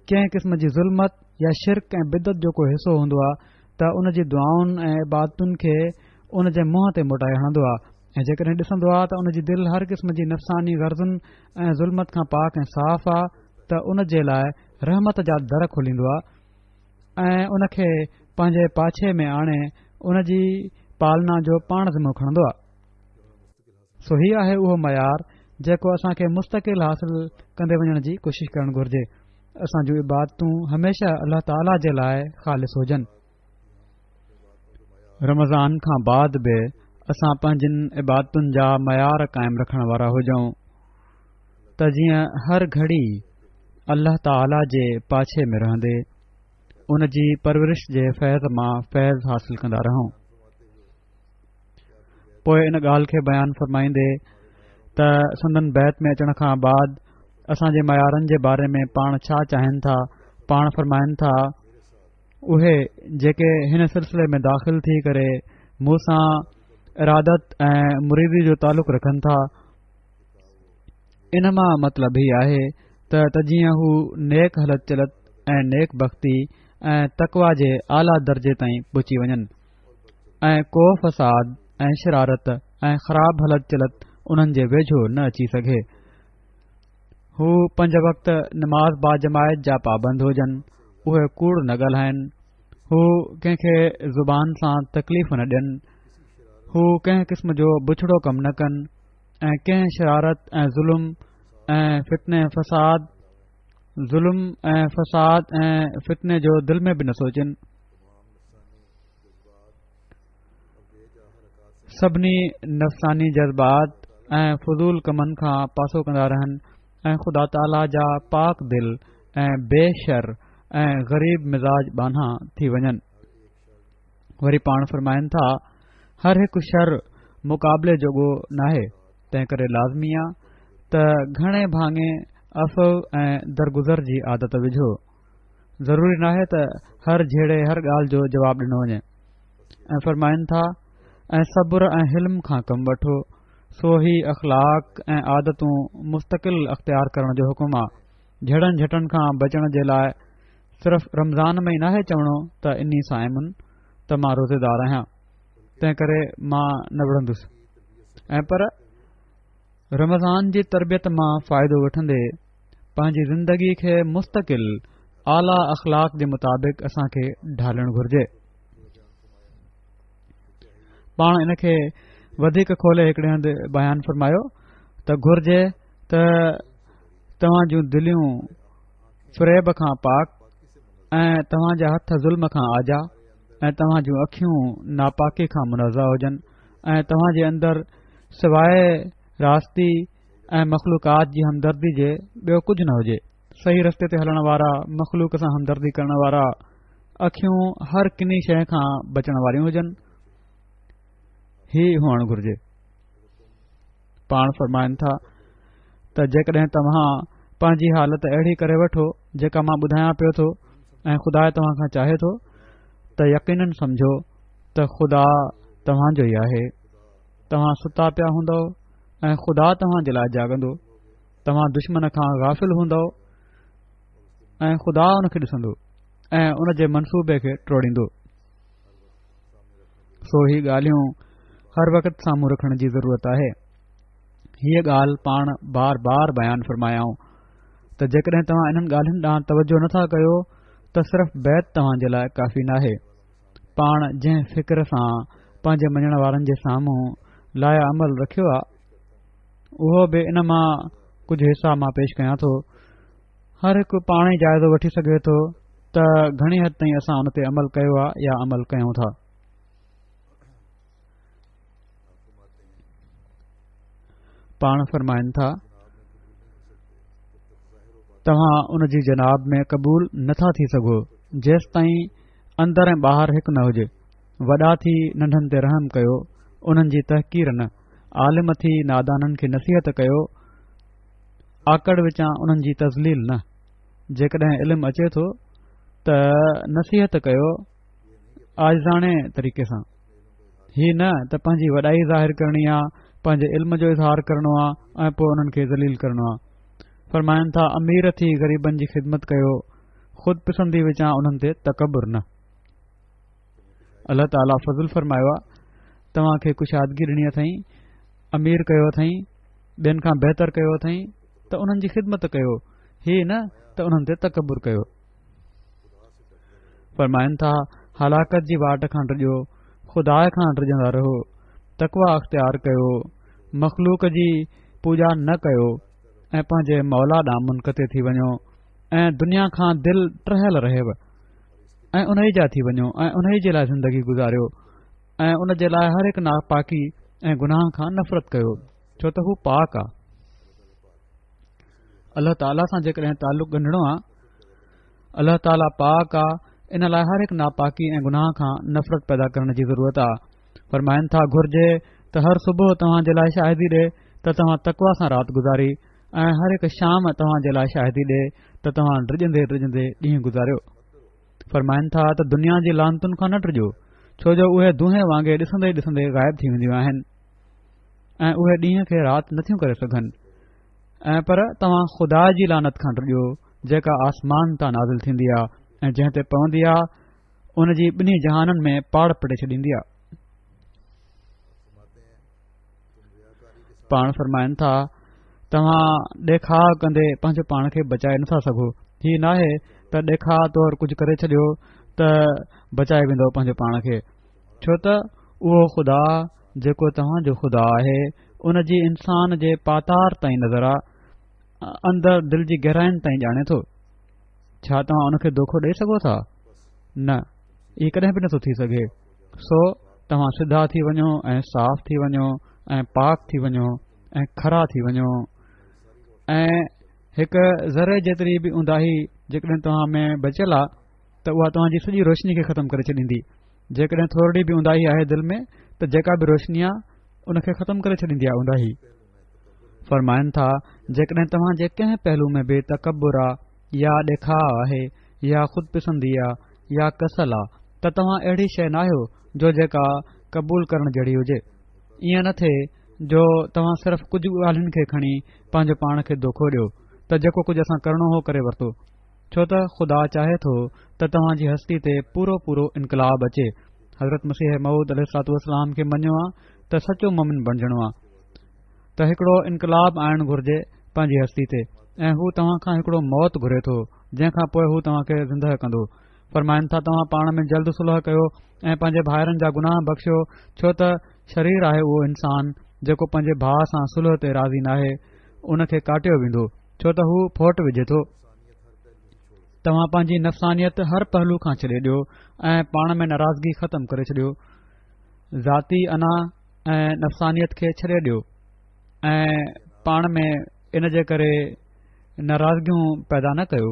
Speaker 2: ڪنهن قسم جي ظلمت يا شرڪ ۽ بدعت جو ڪو حصو هوندو آهي ته ان جي دعائن ۽ عبادتن کي ان جي منهن تي موٽائي هڻندو آهي ۽ جيڪڏهن ڏسندو آهي ته ان جي دل هر قسم جي نفساني غرضن ۽ ظلمت کان پاڪ ۽ صاف آهي ته ان جي لاء رحمت جا در کوليندو آهي ۽ ان کي پنهنجي پاڇي ۾ آڻي ان جي پالنا جو پاڻ ذمو کڻندو آهي. سو هي آهي اهو معيار جيڪو اسان کي مستقل حاصل ڪندي وڃڻ جي ڪوشش ڪرڻ گهرجي. اسان جون عبادتون هميشه الله تعاليٰ جي لاء خالص هجن. رمضان کان بعد به اسان پنهنجين عبادتن جا معيار قائم رکڻ وارا هجون ته جيئن هر گهڙي الله تعاليٰ جي پاڇي ۾ رهندي ان جي پرورش جي فيض مان فيض حاصل ڪندا رهون. پوء ان ڳالهه کي بيان فرمائيندي ته سندن بيعت ۾ اچڻ کان بعد اسان جي معيارن جي باري ۾ پاڻ ڇا چاهين ٿا، پاڻ فرمائن ٿا اهي جيڪي هن سلسلي ۾ داخل ٿي ڪري مون سان ارادت ۽ مريدي جو تعلق رکن ٿا، ان مان مطلب هي آهي ته ته جيئن هو نيڪ هلت چلت ۽ نيڪ بختي ۽ تقويٰ جي اعليٰ درجي تائين پهچي وڃن ۽ ڪو فساد ۽ شرارت ۽ خراب هلت چلت انهن جي ويجهو نه اچي سگهي. هو پنج وقت نماز باجماعت جا پابند هجن، اهي ڪوڙ نه ڳالهائن، هو ڪنهن کي زبان سان تڪليف نه ڏين، هو ڪنهن قسم جو بڇڙو ڪم نه ڪن ۽ ڪنهن شرارت ۽ ظلم ۽ فتني فساد ظلم ۽ فساد ۽ فتني جو دل ۾ به نه سوچن. سڀني نفساني جذبات ۽ فضول ڪمن کان پاسو ڪندا رهن ۽ خدا تعاليٰ جا پاڪ دل ۽ بي شر ۽ غريب مزاج ٻانها ٿي وڃن. وري پاڻ فرمائن ٿا هر هڪ شر مقابلي جوڳو ناهي، تنهن ڪري لازمي آ ته گهڻي ڀاڱي عفو ۽ درگذر جي عادت وجهو. ضروري ناهي ته هر جهيڙي هر ڳالهه جو جواب ڏنو وڃي. ۽ فرمائن ٿا ۽ صبر ۽ حلم کان ڪم وٺو. سو هي اخلاق ۽ عادتون مستقل اختيار ڪرڻ جو حڪم آ. جهيڙن جهٽن کان بچڻ جي لاء صرف رمضان ۾ ئي ناهي چوڻو ته اني صائم ته مان روزيدار آهيان تنهن ڪري مان نه وڙهندس ۽ پر رمضان جي تربيت مان فائدو وٺندي پنهنجي زندگي کي مستقل اعليٰ اخلاق جي مطابق اسان کي ڍالڻ گهرجي. پاڻ ان کي وڌيڪ کولي هڪڙي هنڌ بيان فرمايو ته گهرجي ته توهان جون دليون فريب کان پاڪ ۽ توهان جا هٿ ظلم کان آجا ۽ توهان جون اکيون ناپاڪي کان منزه هجن ۽ توهان جي اندر سواء راستي ۽ مخلوقات جي همدردي جي ٻيو ڪجهه نه هجي. صحيح رستي تي هلڻ وارا، مخلوق سان همدردي ڪرڻ وارا، اکيون هر ڪني شيء کان بچڻ واريون هجن، هي هئڻ گهرجي. پاڻ فرمائن ٿا ته جيڪڏهن توهان پنهنجي حالت اهڙي ڪري وٺو جيڪا مان ٻڌايان پيو ٿو ۽ خدا توهان کان چاهي ٿو ته يقينن سمجهو ته خدا توهان جو ئي آهي. توهان ستا پيا هوندؤ ۽ خدا توهان جي لاء جاڳندو. توهان دشمن کان غافل هوندؤ ۽ خدا ان کي ڏسندو ۽ ان جي منصوبي کي ٽوڙيندو. سو هي ڳالهيون هر وقت سامهون رکڻ جي ضرورت آهي. هيء ڳالهه پاڻ بار بار بيان فرمايائون ته جيڪڏهن توهان انهن ڳالهين ڏانهن توجه نٿا ڪيو ته صرف بيعت توهان جي لاء ڪافي ناهي. پاڻ جنهن فڪر سان پنهنجي مڃڻ وارن جي سامهون لائحه عمل رکيو آ اهو به ان مان ڪجهه حصا مان پيش ڪيان ٿو. هر هڪ پاڻ ئي جائزو وٺي سگهي ٿو ته گهڻي حد تائين اسان ان تي عمل ڪيو آ يا عمل ڪيون ٿا. پاڻ فرمائن ٿا، توهان ان جي جناب ۾ قبول نٿا ٿي سگهو جيستائين اندر ۽ ٻاهر هڪ نه هجي. وڏا ٿي ننڍن تي رحم ڪيو، انهن جي تحقير نه. عالم ٿي نادانن کي نصيحت ڪيو، آڪڙ وچان انهن جي تذليل نه. جيڪڏهن علم اچي ٿو ته نصيحت ڪيو عاجزاڻي طريقي سان، هي نه ته پنهنجي وڏائي ظاهر ڪرڻي آ، پنهنجي علم جو اظهار ڪرڻو آ ۽ پوء انهن کي ذليل ڪرڻو آ. فرمائن ٿا، امير ٿي غريبن جي خدمت ڪيو، خود پسندي وچان انهن تي تڪبر نه. الله تعاليٰ فضل فرمايو آ، توهان کي ڪشادگي ڏني اٿئين، امير ڪيو اٿئين، ٻين کان بهتر ڪيو اٿئين ته انهن جي خدمت ڪيو، هي نه ته انهن تي تڪبر ڪيو. فرمائن ٿا، هلاڪت جي واٽ کان ڊڄو، خدا کان ڊڄندا رهو، تقويٰ اختيار ڪيو، مخلوق جي پوڄا نه ڪيو ۽ پنهنجي مولا ڏانهن منقطع ٿي وڃو ۽ دنيا کان دل ٽهيل رهيو ۽ انهي جا ٿي وڃو ۽ انهي جي لاء زندگي گذاريو ۽ ان جي لاء هر هڪ ناپاڪي ۽ گناهه کان نفرت ڪيو، ڇو ته هو پاڪ آ. الله تعاليٰ سان جيڪڏهن تعلق ڳنڍڻو آ، الله تعاليٰ پاڪ آ، ان لاء هر هڪ ناپاڪي ۽ گناهه کان نفرت پيدا ڪرڻ جي ضرورت آ. فرمائن ٿا، گهرجي ته هر صبح توهان جي لاء شاهدي ڏي ته توهان تقويٰ سان رات گذاري ۽ هر هڪ شام توهان جي لاء شاهدي ڏي ته توهان ڊڄندي ڊڄندي ڏينهن گذاريو. فرمائن ٿا ته دنيا جي لعنتن کان نه ڊڄو، ڇو جو اهي دونهين وانگي ڏسندي ڏسندي غائب ٿي وينديون آهن ۽ اهي ڏينهن کي رات نٿيون ڪري سگهن، ۽ پر توهان خدا جي لعنت کان ڊڄو جيڪا آسمان تان نازل ٿيندي آ ۽ جنهن تي پوندي آ ان جي ٻنهي جهانن ۾ پاڙ پٽي ڇڏيندي آ. پاڻ فرمائن ٿا، توهان ڏيکاء ڪندي پنهنجو پاڻ کي بچائي نٿا سگهو. هي ناهي ته ڏيکاء طور ڪجهه ڪري ڇڏيو ته بچائي ويندو پنهنجو پاڻ کي، ڇو ته اهو خدا جيڪو توهان جو خدا آهي ان جي انسان جي پاتار تائين نظر آ، اندر دل جي گهراين تائين ڄاڻي ٿو. ڇا توهان ان کي دوکو ڏئي سگهو ٿا؟ نه، اهي ڪڏهن به نٿو ٿي سگهي. سو توهان سڌا ٿي وڃو ۽ صاف ٿي وڃو ۽ پاڪ ٿي وڃو ۽ کرا ٿي وڃو، ۽ هڪ ذري جيتري به اونداهي جيڪڏهن توهان ۾ بچيل آ ته اها توهان جي سڄي روشني کي ختم ڪري ڇڏيندي. جيڪڏهن ٿورڙي به اونداهي آهي دل ۾ ته جيڪا به روشني آ ان کي ختم ڪري ڇڏيندي آ اونداهي. فرمائن ٿا، جيڪڏهن توهان جي ڪنهن پهلو ۾ به تڪبر آ يا ڏيکاء آهي يا خود پسندي آ يا ڪسل آ ته توهان اهڙي شيء ناهيو جو جيڪا قبول ڪرڻ جهڙي هجي. ائين نه ٿئي جو توهان صرف ڪجهه ڳالهين کي کڻي پنهنجو پاڻ کي دوکو ڏيو ته جيڪو ڪجهه اسان ڪرڻو هو ڪري ورتو، ڇو ته خدا چاهي ٿو ته توهان جي هستي تي پورو پورو انقلاب اچي. حضرت مسيح موعود عليه الصلوة والسلام کي مڃيو آ ته سچو مومن بڻجڻو آ ته هڪڙو انقلاب آڻڻ گهرجي پنهنجي هستي تي، ۽ هو توهان کان هڪڙو موت گهري ٿو جنهن کان پوء هو توهان کي زندهه ڪندو. فرمائن ٿا، توهان پاڻ ۾ جلد صلح ڪيو ۽ پنهنجي ڀائرن جا گناهه بخشيو، ڇو ته شرير آهي اهو انسان جيڪو پنهنجي ڀاء سان صلح تي راضي ناهي، ان کي ڪاٽيو ويندو، ڇو ته هو ڦوٽ وجهي ٿو. توهان پنهنجي نفسانيت هر پهلو کان ڇڏي ڏيو ۽ پاڻ ۾ ناراضگي ختم ڪري ڇڏيو. ذاتي انا ۽ نفسانيت کي ڇڏي ڏيو ۽ پاڻ ۾ ان جي ڪري ناراضگيون پيدا نه ڪيو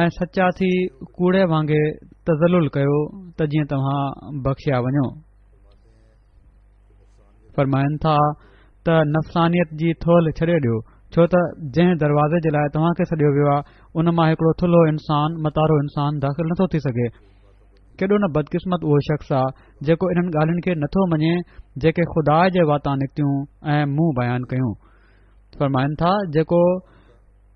Speaker 2: ۽ سچا ٿي ڪوڙي وانگي تذلل ڪيو ته جيئن توهان بخشيا وڃو. فرمائن ٿا ته نفسانيت جي ٿولهه ڇڏي ڏيو، ڇو ته جنهن دروازي جي لاء توهان کي سڏيو ويو آهي ان مان هڪڙو ٿلهو انسان، متارو انسان داخل نٿو ٿي سگهي. ڪيڏو نه بدقسمت اهو شخص آ جيڪو انهن ڳالهين کي نٿو مڃي جيڪي خدا جي واتان نڪتيون ۽ مون بيان ڪيون. فرمائن ٿا، جيڪو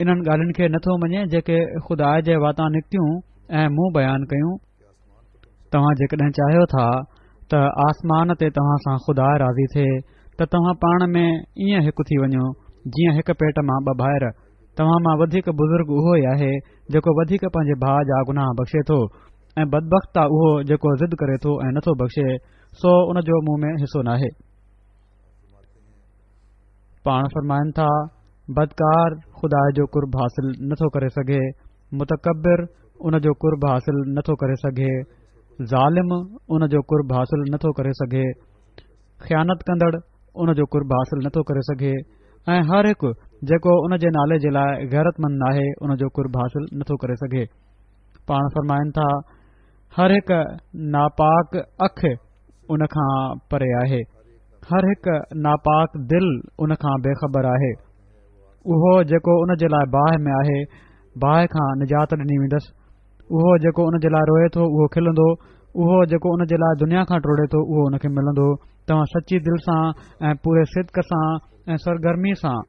Speaker 2: انهن ڳالهين کي نٿو مڃي جيڪي خدا جي واتان نڪتيون ۽ مون بيان ڪيون. توهان جيڪڏهن چاهيو ٿا ته آسمان تي توهان سان خدا راضي ٿئي ته توهان پاڻ ۾ ائين هڪ ٿي وڃو جيئن هڪ پيٽ مان ٻه ڀائر. توهان مان وڌيڪ بزرگ اهو ئي آهي جيڪو وڌيڪ پنهنجي ڀاء جا گناهه بخشي ٿو، ۽ بدبخت آ اهو جيڪو ضد ڪري ٿو ۽ نٿو بخشي، سو ان جو مون ۾ حصو ناهي. پاڻ فرمائن ٿا، بدڪار خدا جو قرب حاصل نٿو ڪري سگهي، متڪبر ان جو قرب حاصل نٿو ڪري سگهي، ظالم ان جو قرب حاصل نٿو ڪري سگهي، خيانت ڪندڙ ان جو قرب حاصل نٿو ڪري سگهي ۽ هر هڪ جيڪو ان جي نالي جي لاء غيرتمند ناهي ان جو قرب حاصل نٿو ڪري سگهي. پاڻ فرمائن ٿا، هر هڪ ناپاڪ اک ان کان پري آهي، هر هڪ ناپاڪ دل ان کان بي خبر آهي. اهو جيڪو ان جي لاء باهه ۾ آهي، باهه کان نجات ڏني ويندس. اهو جيڪو ان جي لاء روئي ٿو اهو کلندو، اهو جيڪو ان جي لاء دنيا کان ڊوڙي ٿو اهو ان کي ملندو. توهان سچي دل سان ۽ پوري صدق سان ۽ سرگرمي سان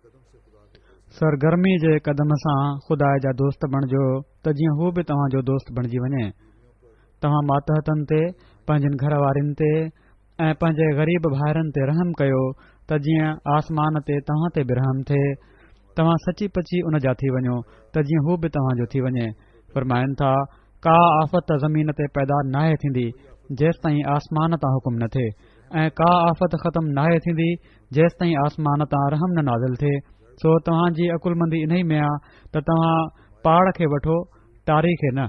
Speaker 2: سرگرمي جي قدم سان خدا جا دوست بڻجو ته جيئن هو به توهان جو دوست بڻجي وڃي. توهان ماتحتن تي، پنهنجن گهر وارين تي ۽ پنهنجي غريب ڀائرن تي رحم ڪيو ته جيئن آسمان تي توهان تي به رحم ٿئي. توهان سچي پچي ان جا ٿي وڃو ته جيئن هو به توهان جو ٿي وڃي. فرمائن ٿا، ڪا آفت زمين تي پيدا ناهي ٿيندي جيستائين آسمان تان حڪم نه ٿئي ۽ ڪا آفت ختم ناهي ٿيندي جيستائين آسمان تان رحم نه نازل ٿئي. سو توهان جي عقلمندي انهي ۾ آ ته توهان پاڙ کي وٺو، ٽاري کي نه.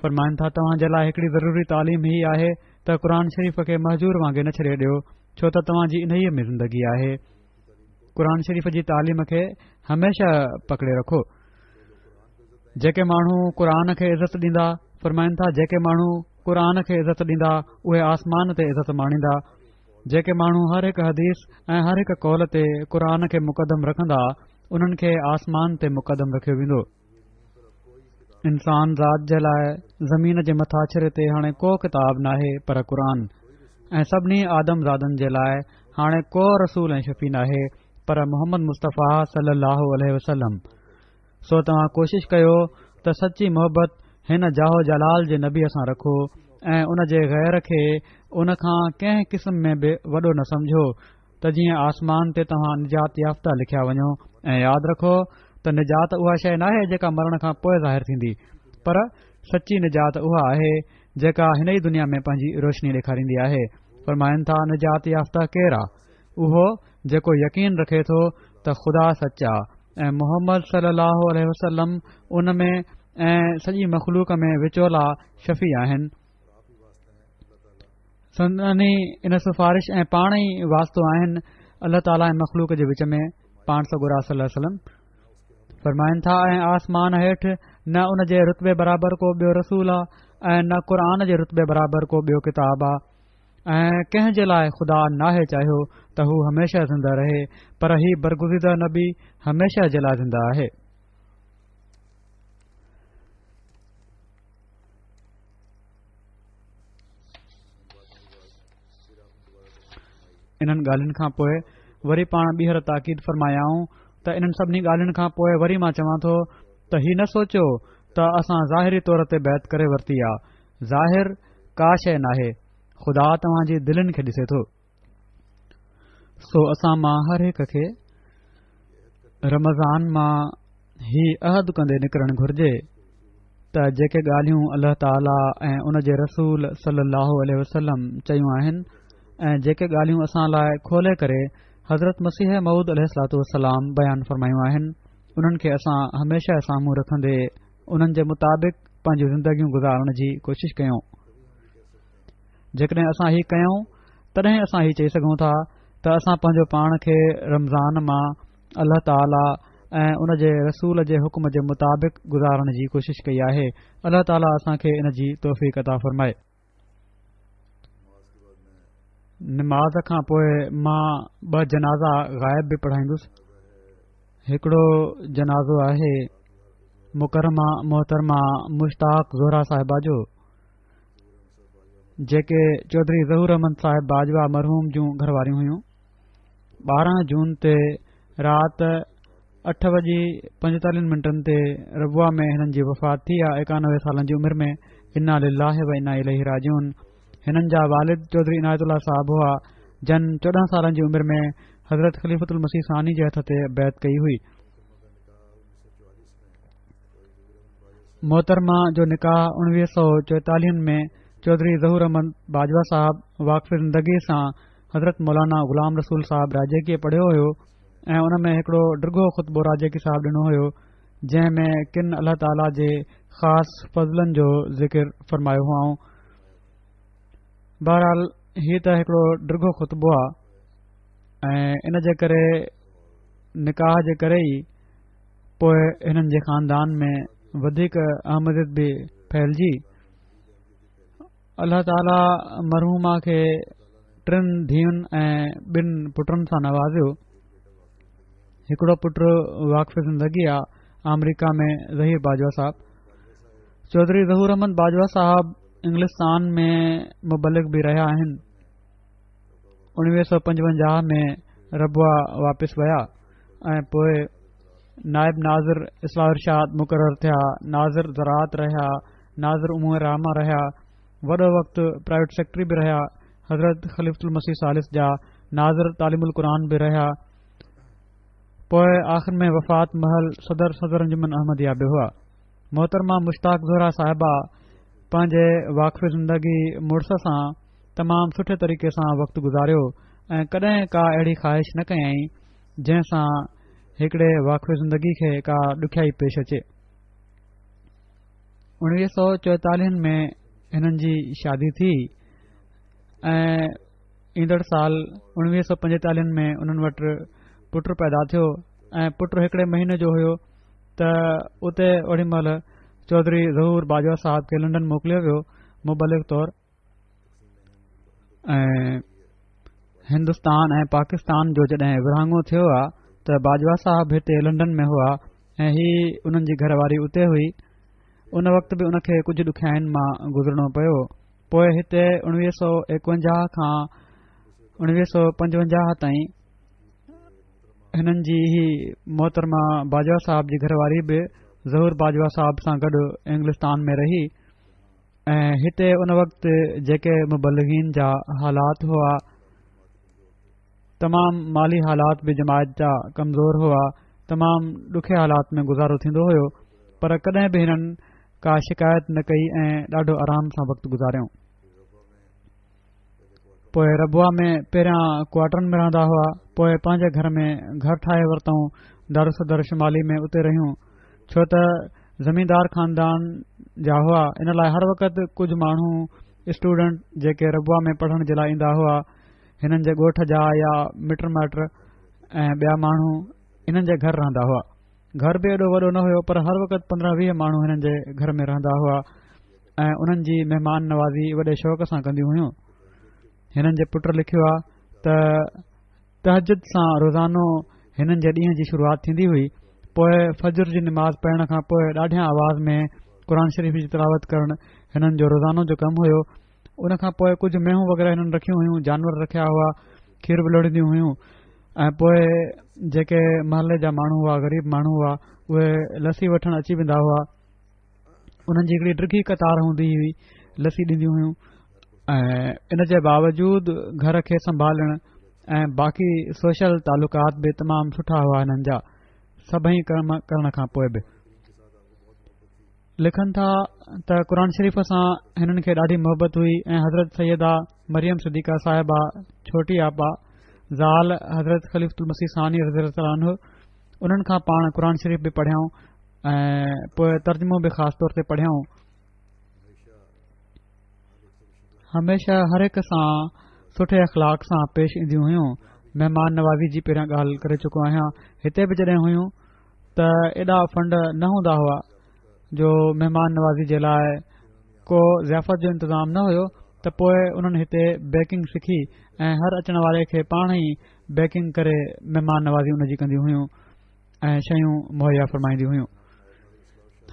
Speaker 2: فرمائن ٿا، توهان جي لاء هڪڙي ضروري تعليم هي آهي ته قرآن شريف کي مهجور وانگي نه ڇڏي ڏيو، ڇو ته توهان جي انهيء ۾ زندگي آهي. قرآن شريف جي تعليم کي هميشه پڪڙي رکو. جيڪي ماڻهو قرآن کي عزت ڏيندا، فرمائن ٿا، جيڪي ماڻهو قرآن کي عزت ڏيندا اهي آسمان تي عزت ماڻيندا. جيڪي ماڻهو هر هڪ حديث ۽ هر هڪ قول تي قرآن کي مقدم رکندا انهن کي آسمان تي مقدم رکيو ويندو. انسان ذات جي لاء زمين جي مٿاڇري تي هاڻي ڪو ڪتاب ناهي پر قرآن، ۽ سڀني آدم زادن جي لاء هاڻي ڪو رسول ۽ شفيع ناهي پر محمد مصطفيٰ صلي الله عليه وسلم. سو توهان ڪوشش ڪيو ته سچي محبت هن جاه و جلال جي نبيء سان رکو ۽ ان جي غير کي ان کان ڪنهن قسم ۾ به وڏو نه سمجهو ته جيئن آسمان تي توهان نجات يافته لکيا وڃو. ۽ ياد رکو ته نجات اها شيء ناهي جيڪا مرڻ کان پوء ظاهر ٿيندي، پر سچي نجات اها آهي جيڪا هن ئي دنيا ۾ پنهنجي روشني ڏيکاريندي آهي. فرمائن ٿا، نجات يافته ڪير آ؟ اهو جيڪو يقين رکي ٿو ته خدا سچ آ ۽ محمد صلي الله عليه وسلم ان ۾ ۽ سڄي مخلوق ۾ وچولا شفيع آهن. سندن ئي ان سفارش ۽ پاڻ ئي واسطو آهن الله تعاليٰ ۽ مخلوق جي وچ ۾. پاڻ سڳورا صلي الله عليه وسلم فرمائن ٿا، ۽ آسمان هيٺ نه ان جي رتبي برابر ڪو ٻيو رسول آ ۽ نه قرآن جي رتبي برابر ڪو ٻيو ڪتاب آ، ۽ ڪنهن جي لاء خدا ناهي چاهيو ته هو هميشه زنده رهي، پر هي برگزيده نبي هميشه جي لاء زنده آهي. انهن ڳالهين کان پوء وري پاڻ ٻيهر تاڪيد فرمايائون ته انهن سڀني ڳالهين کان پوء وري مان چوان ٿو ته هي نه سوچيو ته اسان ظاهري طور تي بيعت ڪري ورتي آ. ظاهر ڪا شيء ناهي، خدا توهان جي دلين کي ڏسي ٿو. سو اسان مان هر هڪ کي رمضان مان هي عهد ڪندي نڪرڻ گهرجي ته جيڪي ڳالهيون الله تعاليٰ ۽ ان جي رسول صلي الله عليه وسلم چيون آهن ۽ جيڪي ڳالهيون اسان لاء کولي ڪري حضرت مسيح موعود عليه الصلوٰة والسلام بيان فرمايون آهن، انهن کي اسان هميشه سامهون رکندي انهن جي مطابق پنهنجون زندگيون گذارڻ جي ڪوشش ڪيون. جيڪڏهن اسان هي ڪيون تڏهن اسان هي چئي سگهون ٿا ته اسان پنهنجو پاڻ کي رمضان مان الله تعاليٰ ۽ ان جي رسول جي حڪم جي مطابق گذارڻ جي ڪوشش ڪئي آهي. الله تعاليٰ اسان کي ان جي توفيق عطا فرمائي. نماز کان پوء مان ٻه جنازا غائب به پڙهائيندس. هڪڙو جنازو آهي مڪرمه محترمه مشتاق زهره صاحبه جو، جيڪي چوڌري ظهور احمد صاحب باجوا مرحوم جون گهر واريون هيون. ٻارهن جون تي رات اٺ وڄي پنجيتاليهن منٽن تي ربوه ۾ هنن جي وفات ٿي آ، ايڪانوي سالن جي عمر ۾. انا لله و انا اليه راجعون. هنن جا والد چوڌري عنايت الله صاحب هئا، جن چوڏهن سالن جي عمر ۾ حضرت خليفة المسيح ثاني جي هٿ تي بيعت ڪئي هئي. محترمه جو نڪاح اڻويهه سؤ چوئيتاليهن ۾ چوڌري ظهور احمد باجوه صاحب واقف زندگي سان حضرت مولانا غلام رسول صاحب راجيڪيء پڙهيو هيو ۽ ان ۾ هڪڙو ڊگهو خطبو راجيڪي صاحب ڏنو هيو، جنهن ۾ ڪن الله تعاليٰ جي خاص فضلن جو ذڪر فرمايو هئائون. بهرحال هي ته هڪڙو ڊگهو خطبو آ. ۽ ان جي ڪري نڪاح جي ڪري ئي پوء هنن جي خاندان ۾ وڌيڪ احمديت به ڦهلجي. الله تعاليٰ مرحومه کي ٽن ڌيئن ۽ ٻن پٽن سان نوازيو. هڪڙو پٽ واقف زندگي آ آمريڪا ۾ ظهير باجوه صاحب. چوڌري ظهور احمد باجوه صاحب انگلستان ۾ مبلغ به رهيا آهن. اڻويهه سؤ پنجونجاهه ۾ ربوه واپس ويا ۽ پوء نائب ناظر اصلاح ارشاد مقرر ٿيا، ناظر زراعت رهيا، ناظر امور عامه رهيا، وڏو وقت پرائيويٽ سيڪريٽري به رهيا، حضرت خليفة المسيح ثالث جا ناظر تعليم القرآن به رهيا، پوء آخر ۾ وفات مهل صدر صدر انجمن احمديه به هئا. محترمه مشتاق زهره صاحبه پنهنجي واقف زندگي مڙس سان تمام سٺي طريقي سان وقت گذاريو ۽ ڪڏهن ڪا اهڙي خواهش نه ڪيائين جنهن سان هڪڙي واقف زندگي کي ڪا ڏکيائي پيش اچي. اڻويهه سؤ چوئيتاليهن ۾ هنن جي شادي ٿي ۽ ايندڙ سال اڻويهه سؤ پنجيتاليهن ۾ انهن وٽ پٽ پيدا ٿيو ۽ پٽ هڪڙي مهيني جو هيو ته اتي اوڏي مهل چوڌري ظهور باجوه صاحب کي لنڊن موڪليو ويو مبلغ طور ۽ هندستان ۽ پاڪستان جو جڏهن ورهاڱو ٿيو آ ته باجوه صاحب هتي لنڊن ۾ هئا ۽ هي انهن جي گهر واري اتي هئي. ان وقت به ان کي ڪجهه ڏکيائين مان گذرڻو پيو. پوء هتي اڻويهه سؤ ايڪونجاهه کان اڻويهه سؤ پنجونجاهه تائين هنن جي هي محترمه باجوه صاحب جي گهر واري به ظهور باجوه صاحب سان گڏ انگلستان ۾ رهي ۽ هتي ان وقت جيڪي مبلغين جا حالات هئا، تمام مالي حالات به جماعت جا ڪمزور هئا، تمام ڏکي حالات ۾ گذارو ٿيندو هيو، پر ڪڏهن به هنن ڪا شڪايت نه ڪئي ۽ ڏاڍو آرام سان وقت گذاريائون. پوء ربوه ۾ پهريان ڪوارٽرن ۾ رهندا هئا، پوء پنهنجي گهر ۾ گهر ٺاهي ورتائون، دارالصدر شمالي ۾ اتي رهيون، ڇو ته زميندار خاندان جا هئا، ان لاء هر وقت ڪجهه ماڻهو اسٽوڊنٽ جيڪي ربوه ۾ پڙهڻ جي لاء ايندا هئا، هنن جي ڳوٺ جا يا مٽ مائٽ ۽ ٻيا ماڻهو انهن جي گهر رهندا هئا. گهر به ايڏو وڏو نه هيو، پر هر وقت پندرهن ويهه ماڻهو هنن جي گهر ۾ رهندا هئا ۽ انهن جي مهمان نوازي وڏي شوق سان ڪنديون هيون. هنن جي پٽ لکيو آ ته تهجد سان روزانو هنن جي ڏينهن جي شروعات ٿيندي هئي، پوء فجر جي نماز پڙهڻ کان پوء ڏاڍيان آواز ۾ قرآن شريف جي تلاوت ڪرڻ هنن جو روزانو جو ڪم هيو. ان کان پوء ڪجهه مينهون وغيره هنن رکيون هيون، جانور رکيا هئا، کير به لوڙينديون هيون ۽ پوء جيڪي محلي جا ماڻهو هئا، غريب ماڻهو هئا، اهي لسي وٺڻ اچي ويندا هئا. انهن جي هڪڙي ڊگهي قطار هوندي هئي، لسي ڏينديون هيون ۽ ان جي باوجود گهر کي سنڀالڻ ۽ باقي سوشل تعلقات به تمام سٺا هئا هنن جا، سڀئي ڪم ڪرڻ کان پوء به. لکن ٿا ته قرآن شريف سان هنن کي ڏاڍي محبت هئي ۽ حضرت سيده مريم صديقه صاحبه ڇوٽي آپا زال حضرت خليفة المسيح ثاني رضي الله تعالٰي عنه انهن کان پاڻ قرآن شريف به پڙهيائون ۽ پوء ترجمو به خاص طور تي پڙهيائون. هميشه هر هڪ سان سٺي اخلاق سان پيش اينديون هيون. مهمان نوازي جي پهريان ڳالهه ڪري چڪو آهيان. هتي به جڏهن هيون ته ايڏا فنڊ نه هوندا هئا جو مهمان نوازي جي لاء ڪو ضيافت جو انتظام نه هيو ته پوء انهن هتي بيڪنگ سکي ۽ هر اچڻ واري کي پاڻ ئي بيڪنگ ڪري مهمان نوازي ان جي ڪنديون هيون ۽ شيون مهيا فرمائينديون هيون.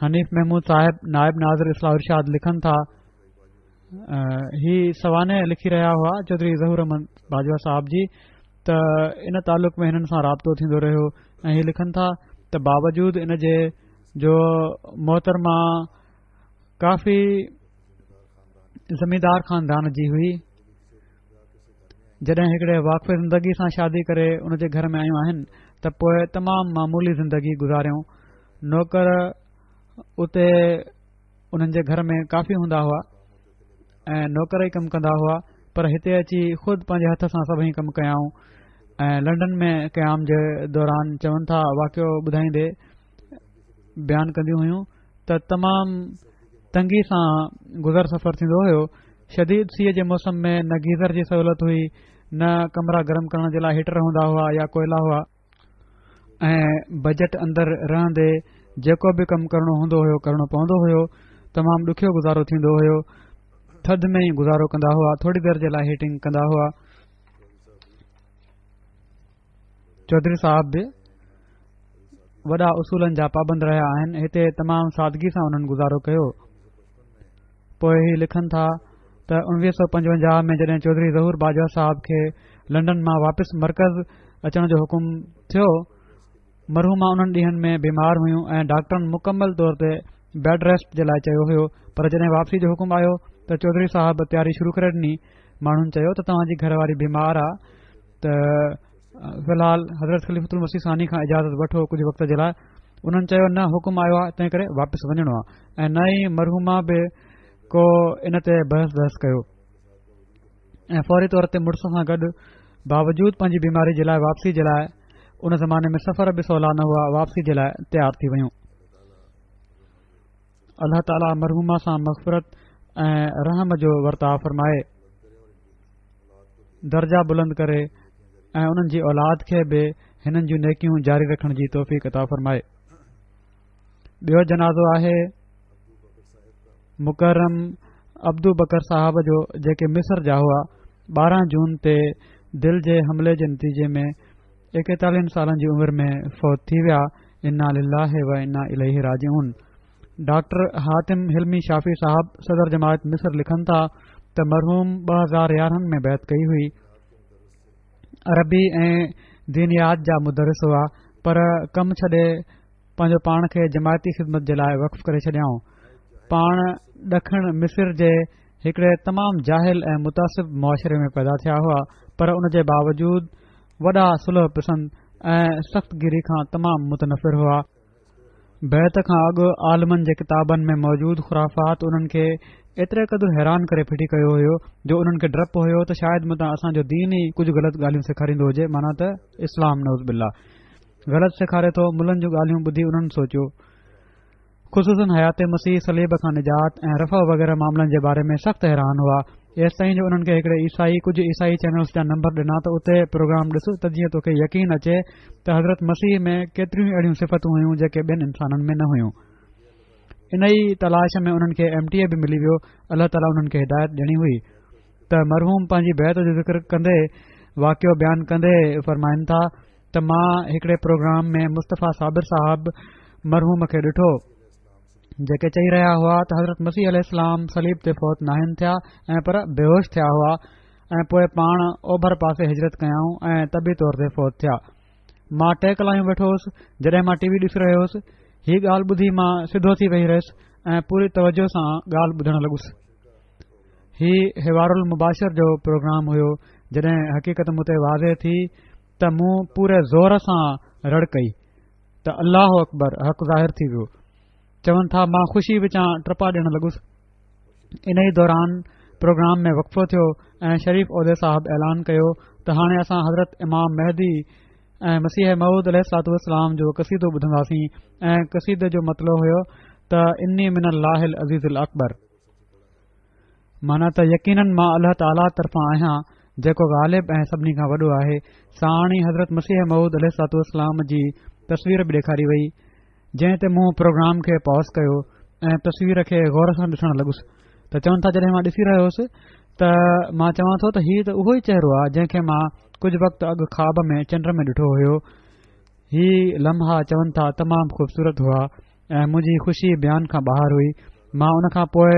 Speaker 2: حنيف محمود صاحب نائب ناظر اصلاح ارشاد لکن ٿا، هي سوانح لکي رهيا هئا چوڌري ظهور احمد باجوه صاحب جي ته ان تعلق ۾ هنن سان رابطو ٿيندو رهيو ۽ هي لکن ٿا ته باوجود ان جي جو محترمه ڪافي زميندار خاندان جي هئي، جڏهن هڪڙي واقف زندگي سان شادي ڪري ان جي گهر ۾ آيون آهن ته پوء تمام معمولي زندگي گذاريائون. نوڪر اتي انهن جي گهر ۾ ڪافي هوندا هئا ۽ نوڪر ئي ڪم ڪندا هئا، پر هتي اچي خود پنهنجي هٿ سان سڀئي ڪم ڪيائون ۽ لنڊن ۾ قيام جي دوران چون ٿا واقعو ٻڌائيندي بيان ڪنديون هيون ته تمام تنگي سان گذر سفر ٿيندو هيو. شديد سيء جي موسم ۾ نه گيزر جي سهولت هئي نه ڪمرا گرم ڪرڻ جي لاء هيٽر هوندا هئا يا ڪوئلا هئا ۽ بجيٽ اندر رهندي جيڪو به ڪم ڪرڻو هوندو هيو ڪرڻو پوندو هيو. تمام ڏکيو گذارو ٿيندو هيو. ٿڌ ۾ ئي گذارو ڪندا هئا، ٿوري دير جي لاء هيٽنگ ڪندا هئا. چوڌري صاحب به وڏا اصولن جا پابند رهيا آهن. هتي تمام سادگي سان انهن گذارو ڪيو. پوءِ هي لکن ٿا ته اڻويهه سؤ پنجونجاهه ۾ جڏهن چوڌري ظهور باجوه صاحب کي لنڊن مان واپس مرڪز اچڻ جو حڪم ٿيو، مرحومه انهن ڏينهن ۾ بيمار هيون ۽ ڊاڪٽرن مڪمل طور تي بيڊ ريسٽ جي لاءِ چيو هيو. پر جڏهن واپسي جو حڪم آيو ته چوڌري صاحب تياري شروع ڪري ڏني. ماڻهن چيو ته توهان جي گهر واري بيمار آهي ته في الحال حضرت خليفة المسيح ثاني کان اجازت وٺو ڪجهه وقت جي لاءِ. انهن چيو نه، حڪم آيو آهي تنهن ڪري واپس وڃڻو آهي. ۽ نه ئي مرحومه به ڪو ان تي بحث بحث ڪيو ۽ فوري طور تي مڙس سان گڏ باوجود پنهنجي بيماري جي لاءِ واپسي جي لاءِ، ان زماني ۾ سفر به سولا نه هئا، واپسي جي لاءِ تيار ٿي ويون. الله تعاليٰ مرحومه سان مغفرت ۽ رحم جو ورتاءُ فرمائي، درجا بلند ڪري ۽ انهن جي اولاد کي به هنن جون نيڪيون جاري رکڻ جي توفيق عطا فرمائي. ٻيو جنازو آهي مڪرم عبدو بڪر صاحب جو، جيڪي مصر جا هئا. ٻارهن جون تي دل جي حملي جي نتيجي ۾ ايڪيتاليهن سالن جي عمر ۾ فوت ٿي ويا. انا لله و انا اليه راجعون. ڊاڪٽر حاتم حلمي شافي صاحب صدر جماعت مصر لکن ٿا ته مرحوم ٻه هزار يارهن ۾ بيعت ڪئي هئي. عربي ۽ دينيات جا مدرس هئا، پر ڪم ڇڏي پنهنجو پاڻ کي جماعتي خدمت جي لاءِ وقف ڪري ڇڏيائون. پاڻ ڏکڻ مصر جي هڪڙي تمام جاهل ۽ متعصب معاشري ۾ پيدا ٿيا هئا، پر ان جي باوجود وڏا صلح پسند ۽ سخت گيري کان تمام متنفر هئا. بيعت کان اڳ عالمن جي ڪتابن ۾ موجود خرافات انهن کي ايتري قدر حيران ڪري ڦٽي ڪيو هيو جو انهن کي ڊپ هيو ته شايد متان اسان جو دين ئي ڪجهه غلط ڳالهيون سيکاريندو هجي، معنيٰ ته اسلام نعوذ بالله غلط سيکاري ٿو. ملن جون ڳالهيون ٻڌي انهن سوچيو، خصوصن حيات مسيح، صليب کان نجات ۽ رفع وغيره معاملن جي باري ۾ سخت حيران هئا. ايستائين جو انهن کي هڪڙي عيسائي ڪجهه عيسائي چينلز جا نمبر ڏنا ته اتي پروگرام ڏس ته جيئن توکي يقين اچي ته حضرت مسيح ۾ ڪيتريون اهڙيون صفتون هيون جيڪي ٻين انسانن ۾ نه هيون. ان ئي تلاش ۾ انهن کي ايم ٽي اي به ملي ويو. الله تعاليٰ انهن کي هدايت ڏيڻي هئي ته مرحوم پنهنجي بيعت جو ذڪر ڪندي واقعو بيان ڪندي فرمائن ٿا ته مان هڪڙي پروگرام ۾ مصطفيٰ صابر صاحب مرحوم کي ڏٺو، جيڪي چئي رهيا هئا ته حضرت مسيح عليه السلام صليب تي فوت ناهن ٿيا ۽ پر بيهوش ٿيا هئا ۽ پوءِ پاڻ اوڀر پاسي هجرت ڪيائون ۽ طبي طور تي فوت ٿيا. مان ٽي ڪلايون ويٺو هوس. جڏهن مان ٽي وي ڏسي رهيو هوس، هي ڳالهه ٻڌي مان سڌو ٿي ويهي رهيس ۽ پوري توجه سان ڳالهه ٻڌڻ لڳس. هي حوار المباشر جو پروگرام هيو. جڏهن حقيقت مون تي واضح ٿي ته مون پوري زور سان رڙ ڪئي ته الله اڪبر، حق ظاهر ٿي ويو. چون ٿا مان خوشي وچان ٽپا ڏيڻ لڳس. ان ئي دوران پروگرام ۾ وقفو ٿيو ۽ شريف عودي صاحب اعلان ڪيو ته هاڻي اسان حضرت امام مهدي ۽ مسيح موعود عليه الصلوة والسلام جو قصيدو ٻڌنداسين. ۽ قصيدي جو مطلب هيو ته اني من الله العزيز الاڪبر، معنيٰ ته يقينن مان الله تعاليٰ طرفان آهيان جيڪو غالب ۽ سڀني کان وڏو آهي. ساڻ ئي حضرت مسيح موعود عليه الصلوة والسلام جي تصوير به ڏيکاري وئي، جنهن تي مون پروگرام کي پاز ڪيو ۽ تصوير کي غور سان ڏسڻ لڳس. ته چون ٿا جڏهن مان ڏسي رهيو هوس ته مان چوان ٿو ته هي ته اهو ئي چهرو آهي جنهن کي مان ڪجهه وقت اڳ خواب ۾ چنڊ ۾ ڏٺو هيو. هي لمحا چون ٿا تمام خوبصورت هئا ۽ منهنجي خوشي بيان کان ٻاهر هئي. مان ان کان پوءِ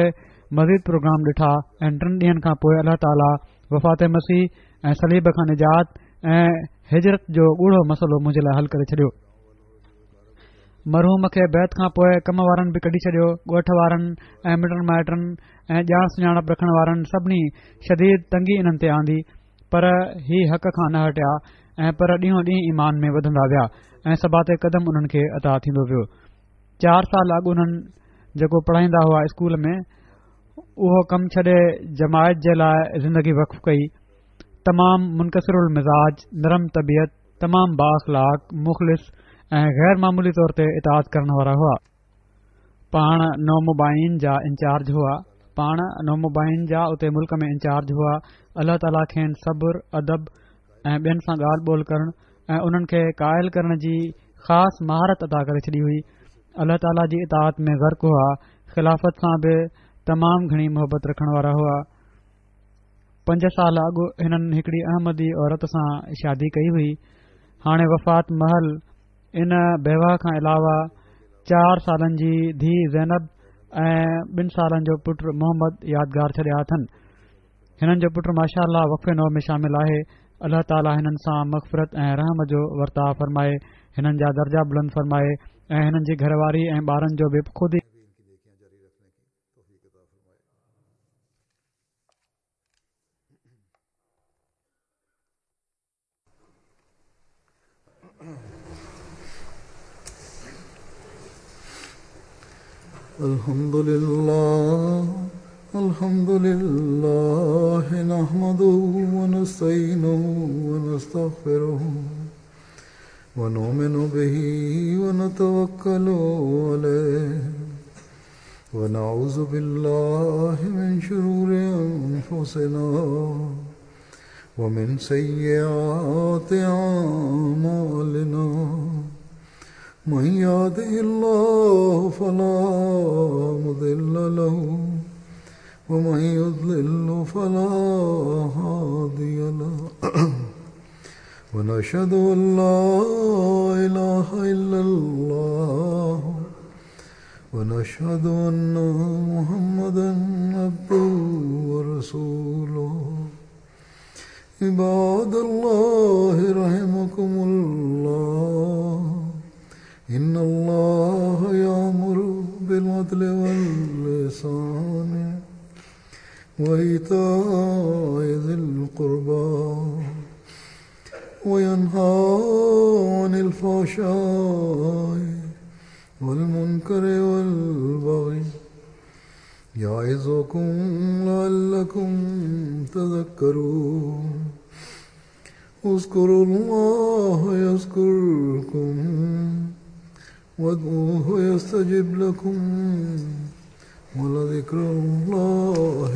Speaker 2: مزيد پروگرام ڏٺا ۽ ٽن ڏينهن کان پوءِ الله تعاليٰ وفات مسيح ۽ صليب کان نجات ۽ هجرت جو ڳوڙهو مسئلو منهنجي لاءِ حل ڪري ڇڏيو. مرحوم کي بيعت کان پوءِ ڪم وارن به ڪڍي ڇڏيو. ڳوٺ وارن ۽ مٽن مائٽن ۽ ڄاڻ سڃاڻپ رکڻ وارن سڀني شديد تنگي انهن تي آندي، پر هي حق کان نه هٽيا ۽ پر ڏينهون ڏينهن ايمان ۾ وڌندا ويا ۽ ثبات قدم انهن کي عطا ٿيندو ويو. چار سال اڳ انهن جيڪو پڙهائيندا هئا اسڪول ۾ اهو ڪم ڇڏي جماعت جي لاءِ زندگي وقف ڪئي. تمام منڪسر المزاج، نرم طبيعت، تمام بااخلاق، مخلص ۽ غير معمولي طور تي اطاعت ڪرڻ وارا هئا. پاڻ نومبائعين جا انچارج هئا. پاڻ نومبائعين جا اتي ملڪ ۾ انچارج هئا. الله تعاليٰ کين صبر، ادب ۽ ٻين سان ڳالهه ٻولهه ڪرڻ ۽ انهن کي قائل ڪرڻ جي خاص مهارت عطا ڪري ڇڏي هئي. الله تعاليٰ جي اطاعت ۾ غرق هئا. خلافت سان به تمام گهڻي محبت رکڻ وارا هئا. پنج سال اڳ هنن هڪڙي احمدي عورت سان شادي ڪئي هئي. هاڻي وفات مهل ان بيوه کان علاوه چار سالن جي ڌيء زينب ۽ ٻن سالن جو پٽ محمد يادگار ڇڏيا اٿن. هنن جو پٽ ماشاء الله وقف نو ۾ شامل آهي. الله تعاليٰ هنن سان مغفرت ۽ رحم جو ورتاء فرمائي، هنن جا درجا بلند فرمائي ۽ هنن جي گهر واري ۽ ٻارن جو به خود ئي
Speaker 1: الحمد لله الحمد لله نحمده ونستعينه ونستغفره ونؤمن به ونتوكل عليه ونعوذ بالله من شرور أنفسنا ومن سيئات أعمالنا من يهده الله فلا مضل له ومن يضلل فلا هادي له ونشهد أن لا إله إلا الله ونشهد أن محمدا عبده ورسوله. عباد الله رحمكم الله، إن الله يأمر بالعدل والإحسان وإيتاء ذي القربى وينهى عن الفحشاء والمنكر والبغي يعظكم لعلكم تذكرون. اذكروا الله يذكركم وادعوه يستجب لكم ولذكر الله